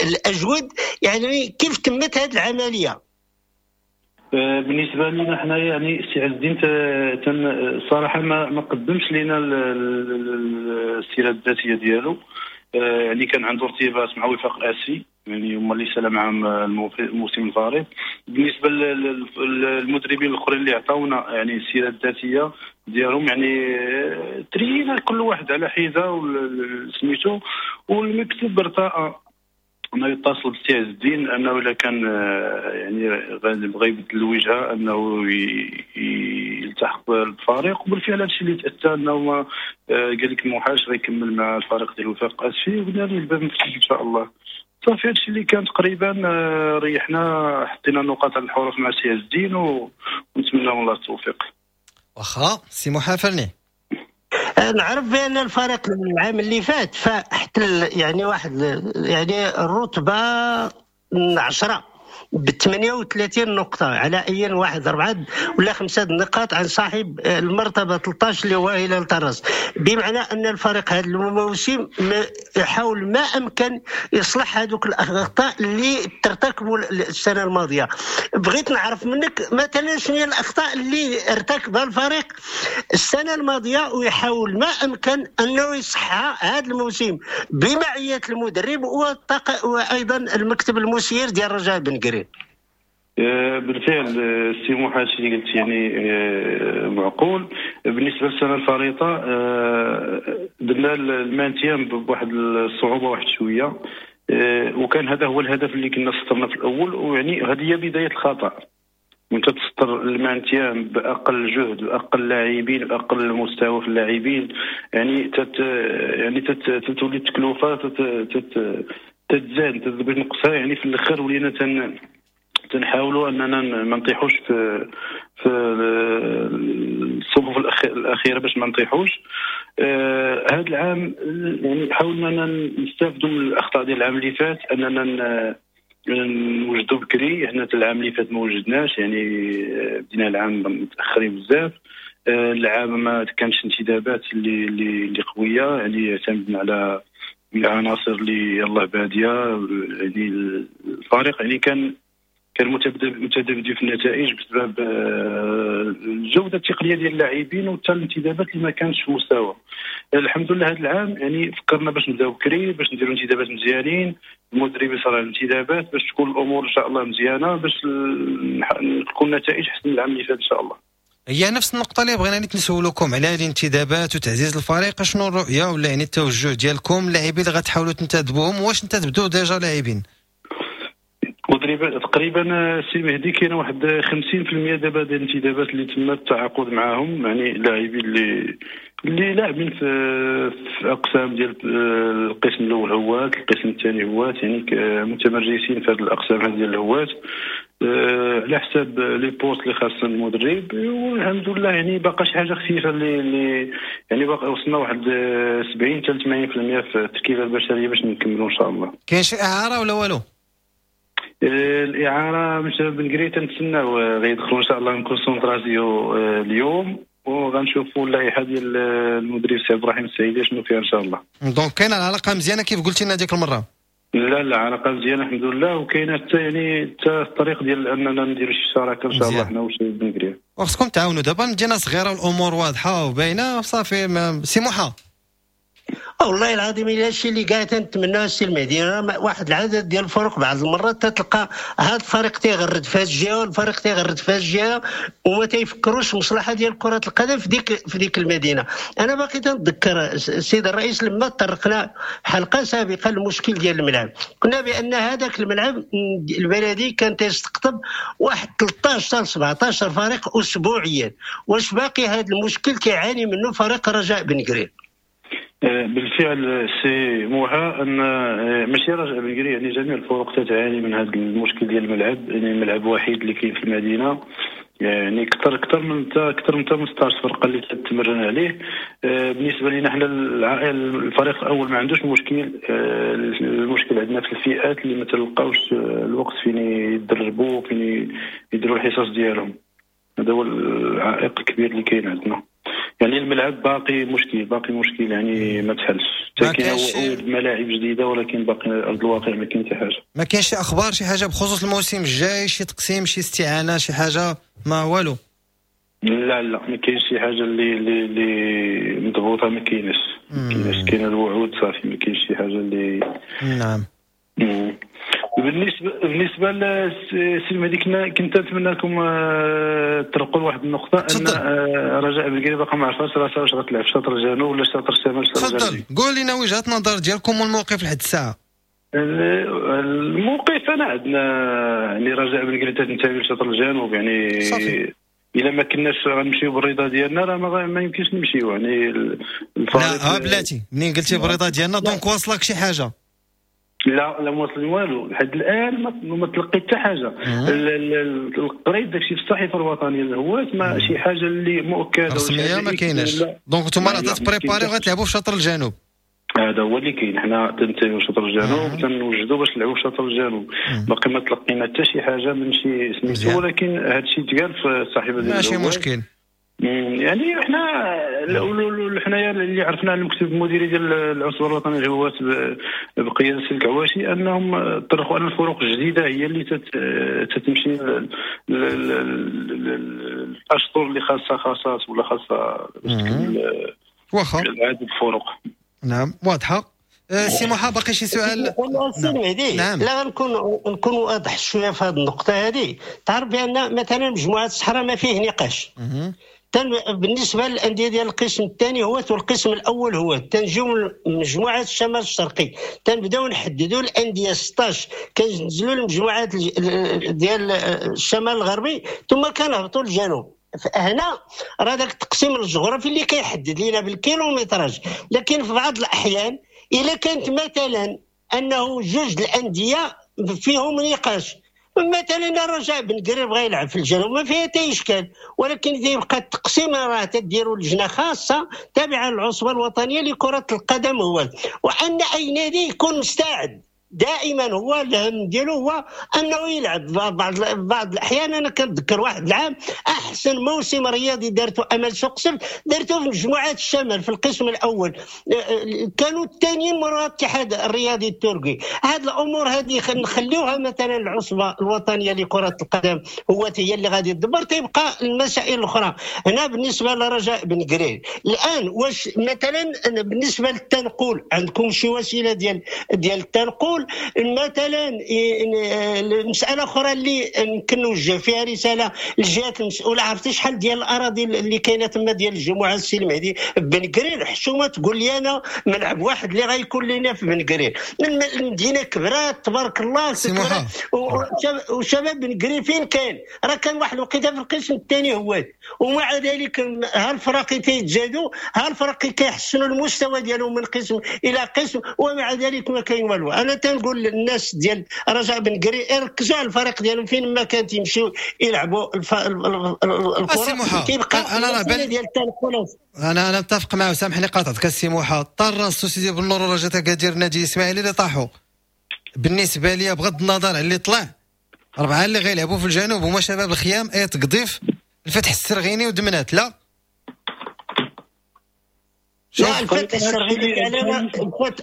الاجود؟ يعني كيف تمت هذه العملية؟ بالنسبة لنا حنا يعني السي عز الدين الصراحة ما ما قدمش لنا السيرة الذاتية ديالو، يعني كان عنده ارتباط مع وفاق الاسي، يعني هما اللي سال معاهم الموسم الفارط. بالنسبة للمدربين الاخرين اللي عطاونا يعني السيرة الذاتية ديالهم، يعني ترينا كل واحد على حده سميتو، والمكتب ارتأى انه يتصل بالسي عز الدين انه اذا كان يعني بغى يبدل الوجهة انه يلتحق بالفريق، وبالفعل هادشي اللي تاتى انه قال لك موحاش غيكمل مع الفريق ديال وفاق اسفي، وقلنا له الباب مفتوح ان شاء الله. صافي هادشي اللي كان تقريبا، ريحنا حطينا النقاط على الحروف مع سي عز الدين ونتمنى من الله التوفيق. واخا سي محافرني، نعرف بان الفريق العام اللي فات فاحتل يعني واحد يعني الرتبة عشرة ب ثمانية وثلاثين نقطة على اي واحد أربعة ولا خمسة نقاط عن صاحب المرتبة ثلاثة عشر اللي هو هلال طرز، بمعنى ان الفريق هذا الموسم يحاول ما امكن يصلح هذوك الاخطاء اللي ترتكبوا السنة الماضية. بغيت نعرف منك مثلا شنو هي الاخطاء اللي ارتكبها الفريق السنة الماضية ويحاول ما امكن انه يصحها هذا الموسم بمعية المدرب وايضا المكتب المسير ديال رجاء بن قرير. بالفعل السي موحى هادشي اللي قلت يعني معقول. بالنسبة للسنة الفارطه درنا ال maintien بواحد الصعوبة واحد شوية، وكان هذا هو الهدف اللي كنا سطرنا في الاول، ويعني هذه هي بداية الخطا. وانت تسطر ال maintien باقل جهد باقل لاعبين باقل مستوى في اللاعبين، يعني تت يعني تتولي التكلفة تت تتزاد تبغي تنقصها، يعني في الاخر ولينا تن تنحاولوا اننا ما نطيحوش في في الصفوف الاخيرة باش ما نطيحوش. آه هذا العام يعني حاولنا ان نستافدوا من الاخطاء ديال العام اللي فات، اننا نوجدوا بكري. حنا العام اللي فات ما وجدناش، يعني بدينا العام متاخرين بزاف. آه العام ما كانش انتدابات اللي اللي اللي قوية، يعني اعتمدنا على العناصر اللي يلاه باديه، يعني الفريق يعني كان كان متذبذب في النتائج بسبب الجودة التقنية ديال اللاعبين وحتى الانتدابات اللي ما كانتش في مستوى. الحمد لله هذا العام يعني فكرنا باش نبداو بكري، باش نديروا انتدابات مزيانين، المدرب يصرع الانتدابات باش تكون الامور ان شاء الله مزيانه، باش تكون النتائج احسن من العام اللي فات ان شاء الله. هي نفس النقطة اللي بغينا نسولوكم على الانتدابات وتعزيز الفريق، شنو الرؤية ولا يعني التوجه ديالكم، اللاعبين اللي غتحاولوا تنتدبوهم، واش انتدبتوا déjà لاعبين؟ تقريبا تقريبا السي مهدي كاين واحد خمسين بالمية دابا ديال الانتدابات اللي تم التعاقد معاهم، يعني اللاعبين اللي اللي لاعبين في في اقسام ديال القسم الاول هوات، القسم الثاني هوات، يعني متمرسين في هذه الاقسام هذه ديال الهوات على حساب les postes اللي خاصة المدرب. والحمد لله يعني باقا شي حاجة خفيفة اللي اللي يعني باقي وصلنا واحد سبعين حتى ثمانين بالمية في التركيبة البشرية باش نكملوا ان شاء الله. كاين شي اعاره ولا والو؟ الاعارة مش بن قرير تنتسناو غيدخلوا ان شاء الله concentration اليوم، وغنشوفوا اللائحة ديال المدرب سي ابراهيم السعيدي شنو فيها ان شاء الله. donc كاينه العلاقة مزيانه كيف قلتي لنا ديك المرة؟ لا لا، علاقة مزيانه الحمد لله، وكاينه حتى يعني حتى الطريق ديال اننا نديروا شي شراكة ان شاء الله حنا وشباب بن قرير. وخصكم تعاونوا دابا، المدينة صغيرة والامور واضحة وباينه صافي. سي موحى، والله العظيم الا الشيء اللي قاعد نتمناه السي المهدي، واحد العدد ديال الفرق بعض المرات تتلقى هذا الفريق تيغرد في هذه الجهة والفريق تيغرد في هذه الجهة، وما تيفكروش المصلحة ديال كره القدم في ديك في ديك المدينة. انا باقي تنتذكر السيد الرئيس لما طرقنا حلقة سابقه المشكل ديال الملعب، قلنا بان هذاك الملعب البلدي كان تيستقطب واحد ثلاثة عشر حتى سبعة عشر فريق اسبوعيا. واش باقي هذا المشكل كيعاني منه فريق رجاء بن قرير؟ بالفعل سي موحى، ان ماشي رجاء بن قرير، يعني جميع الفرق تتعاني من هذا المشكل ديال الملعب، يعني الملعب وحيد اللي كاين في المدينة، يعني اكثر اكثر من اكثر من ستة عشر فرقه اللي تتمرن عليه. بالنسبة لنا حنا الفريق الاول ما عندوش مشكل، المشكل عندنا في الفئات اللي ما تلقاوش الوقت فين يدربوا فين يديروا الحصص ديالهم، هذا هو العائق الكبير اللي كاين عندنا. يعني الملعب باقي مشكل، باقي مشكل، يعني ما تحلش. كاين وعود ملاعب جديدة ولكن باقي ارض الواقع ما كاين حتى حاجة. ما كاينش شي اخبار، شي حاجة بخصوص الموسم الجاي، شي تقسيم، شي استعانه، شي حاجة؟ ما والو. لا لا، ما كاينش شي حاجة اللي اللي اللي مضبوطة، ما كاينش ما كاينش، كاين الوعود صافي، ما كاينش شي حاجة اللي. نعم. مم. بالنسبة بالنسبة للسي المهدي، كنا كنت نتمنى لكم تطرقوا لواحد النقطة، ان رجاء بن قرير باقا ما عرفاش راسها واش غتلعب في شطر الجنوب ولا شطر الشمال. تفضل قول لنا وجهه النظر ديالكم والموقف لحد الساعة. الموقف انا عندنا يعني رجاء بن قرير تنتمي لشطر الجنوب، يعني صافي. الا ما كناش غنمشيو بالرضا ديالنا راه ما, ما يمكنش نمشيو، يعني الفريق. لا بلاتي، منين قلتي بالرضا ديالنا donc واصلك شي حاجة؟ لا لا ما وصل والو لحد الان، ما, ما تلقيت حتى حاجة. قريت داكشي في الصحيفة الوطنية الهواة، ما شي حاجة اللي مؤكدة رسمية ما كايناش. donc نتوما راه ت préparer وغتلعبوا في شطر الجنوب. هذا هو اللي كاين، حنا تنتميو لشطر الجنوب، تنوجدوا باش نلعبوا في شطر الجنوب. باقي ما تلقينا حتى شي حاجة من شي سميتو، ولكن هذا الشيء تقال في الصحيفة ديال ماشي مشكل. يعني حنا حنايا اللي عرفنا على المكتب المديري ديال العصبة الوطنية للهواة بقيادة السي الكعواشي انهم طرقوا ان الفروق الجديدة هي اللي تتمشي الاشطر اللي خاصها خاصات ولا خاصها واخا عدد الفروق. نعم واضحة. سي موحى باقي شي سؤال؟ نعم. نعم. لا نكون نكون واضح شوية في هذه النقطة هذه. تعرف بان مثلا مجموعة الصحراء ما فيه نقاش. تن بالنسبة للاندية ديال القسم الثاني هو والقسم الاول هو، تنجيو مجموعة الشمال الشرقي تنبداو نحددوا الاندية ستة عشر، كننزلوا المجموعات ديال الشمال الغربي ثم كنهبطوا للجنوب. هنا راه داك التقسيم الجغرافي اللي كيحدد لينا بال kilométrage. لكن في بعض الاحيان الا كانت مثلا انه جوج الاندية فيهم نقاش، مثلا الرجاء بن قرير بغى يلعب في الجنوب ما فيها حتى اشكال، ولكن يبقى التقسيم راه تديروا لجنة خاصة تابعه للعصبه الوطنية لكرة القدم هو، وان اي نادي يكون مستعد دائما هو الهم ديالو هو انه يلعب. بعض بعض الاحيان انا كنتذكر واحد العام احسن موسم رياضي دارته امل سوق سبت دارته في مجموعات الشمال في القسم الاول، كانوا الثانيين من الاتحاد الرياضي التركي. هاد الامور هذه نخليوها مثلا العصبة الوطنية لكرة القدم هو هي اللي غادي تدبر، تيبقى المسائل الاخرى. هنا بالنسبة لرجاء بن قرير الان، واش مثلا بالنسبة للتنقل عندكم شي وسيلة ديال ديال التنقل؟ مثلا المسالة اخرى اللي يمكن نوجه فيها رسالة للجهات المسؤولة، عرفتي شحال ديال الاراضي اللي كاينه تما ديال الجمعة السي المهدي بن قرير؟ حشومه تقول لي انا ملعب واحد اللي غيكون لنا في بن قرير، المدينة كبرات تبارك الله، وشباب بن قرير فين كان؟ راه كان واحد الوقيته في القسم الثاني هو، ومع ذلك ها الفرق تيتزادوا، ها الفرق كيحسنوا المستوى ديالهم من قسم الى قسم، ومع ذلك ما كاين والو. انا تنقول للناس ديال رجاء بن قرير ركزوا على الفريق ديالهم فين ما كان تيمشيو يلعبوا الف... الكره كيبقى. انا راه بان ديال التنقلات. انا انا متفق معه، سامحني قاطعتك السي موحى. طرا سيدي بالنور ورجاء اكادير النادي الاسماعيلي اللي طاحوا، بالنسبة لي بغض النظر على اللي طلع، اربعة اللي غيلعبوا في الجنوب هما شباب الخيام، ايت قضيف، الفتح السرغيني ودمنات. لا لا، الفتح السرغيني فعلا،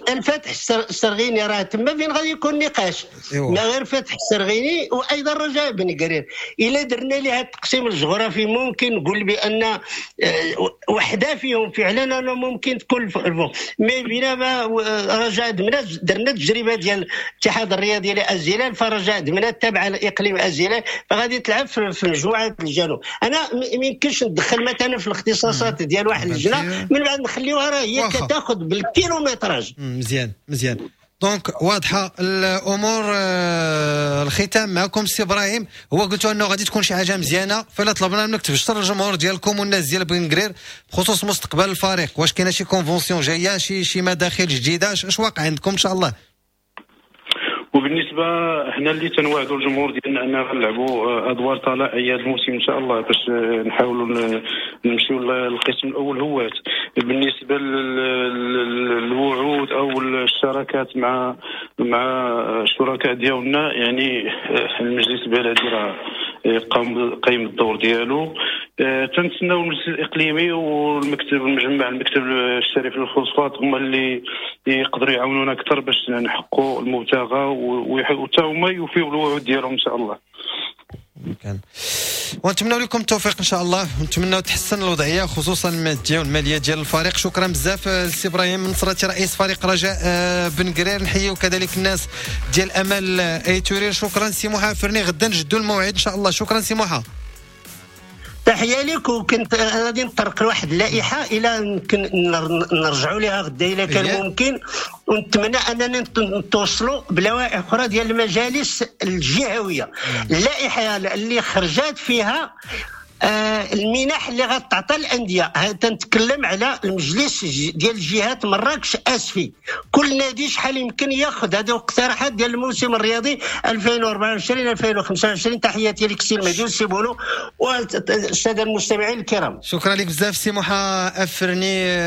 الفتح السرغيني راه تما فين غادي يكون نقاش. ما غير فتح السرغيني وايضا رجاء بن قرير. الا درنا لها التقسيم الجغرافي ممكن نقول بان وحده فيهم فعلا انا ممكن تكون الفوق، mais بينما رجاء دمنات درنا التجربة ديال الاتحاد الرياضي لازيلال، فرجاء دمنات تابعه لاقليم ازيلال، فغادي تلعب في مجموعة الجنوب. انا ما يمكنش ندخل مثلا في الاختصاصات ديال واحد اللجنة من بعد نخليوها راه هي كتاخذ بال kilométrage. مزيان مزيان، donc واضحة الامور. الختام معكم سي ابراهيم، هو قلتوا انه غادي تكون شي حاجة مزيانه، فلا طلبنا منك تبشر الجمهور ديالكم والناس ديال بن قرير بخصوص مستقبل الفريق، واش كاينه شي convention جاية، شي شي مداخل جديدة، اش واقع عندكم ان شاء الله؟ وبالنسبة حنا اللي تنوعدوا الجمهور ديالنا اننا غنلعبوا ادوار طلائعيه هذا الموسم ان شاء الله باش نحاولوا نمشيو للقسم الاول هوات. بالنسبة للوعود او الشراكات مع مع الشركاء ديالنا، يعني المجلس البلدي راه قام قايم الدور ديالو، تنتسناو المجلس الاقليمي والمكتب المجمع المكتب الشريف للفوسفات هما اللي يقدروا يعاونونا اكثر باش نحققوا المبتغى، وحتى هما يوفيوا الوعود ديالهم ان شاء الله. كان ونتمنى لكم التوفيق ان شاء الله، ونتمنى تحسن الوضعية خصوصا المادية والمالية ديال الفريق. شكرا بزاف السي ابراهيم نصرتي رئيس فريق رجاء بن قرير، نحييو كذلك الناس ديال امل ايتورير. شكرا سي موحى فرني، غدا نجدوا الموعد ان شاء الله. شكرا سي موحى، تحية لك. وكنت غادي نطرق لواحد اللائحة الى يمكن نرجعوا لها غدا الى كان ممكن، ونتمنى اننا نتوصلوا بلوائح اخرى ديال المجالس الجهوية. اللائحة اللي خرجت فيها آه المنح اللي غتعطى الاندية، تنتكلم على المجلس ديال الجهات مراكش اسفي، كل نادي شحال يمكن ياخذ. هذه اقتراحات ديال الموسم الرياضي ألفين وأربعة وعشرين ألفين وخمسة وعشرين. تحياتي لك سي المهدي والسي بولو والسادة المستمعين الكرام. شكرا لك بزاف سي موحى افرني.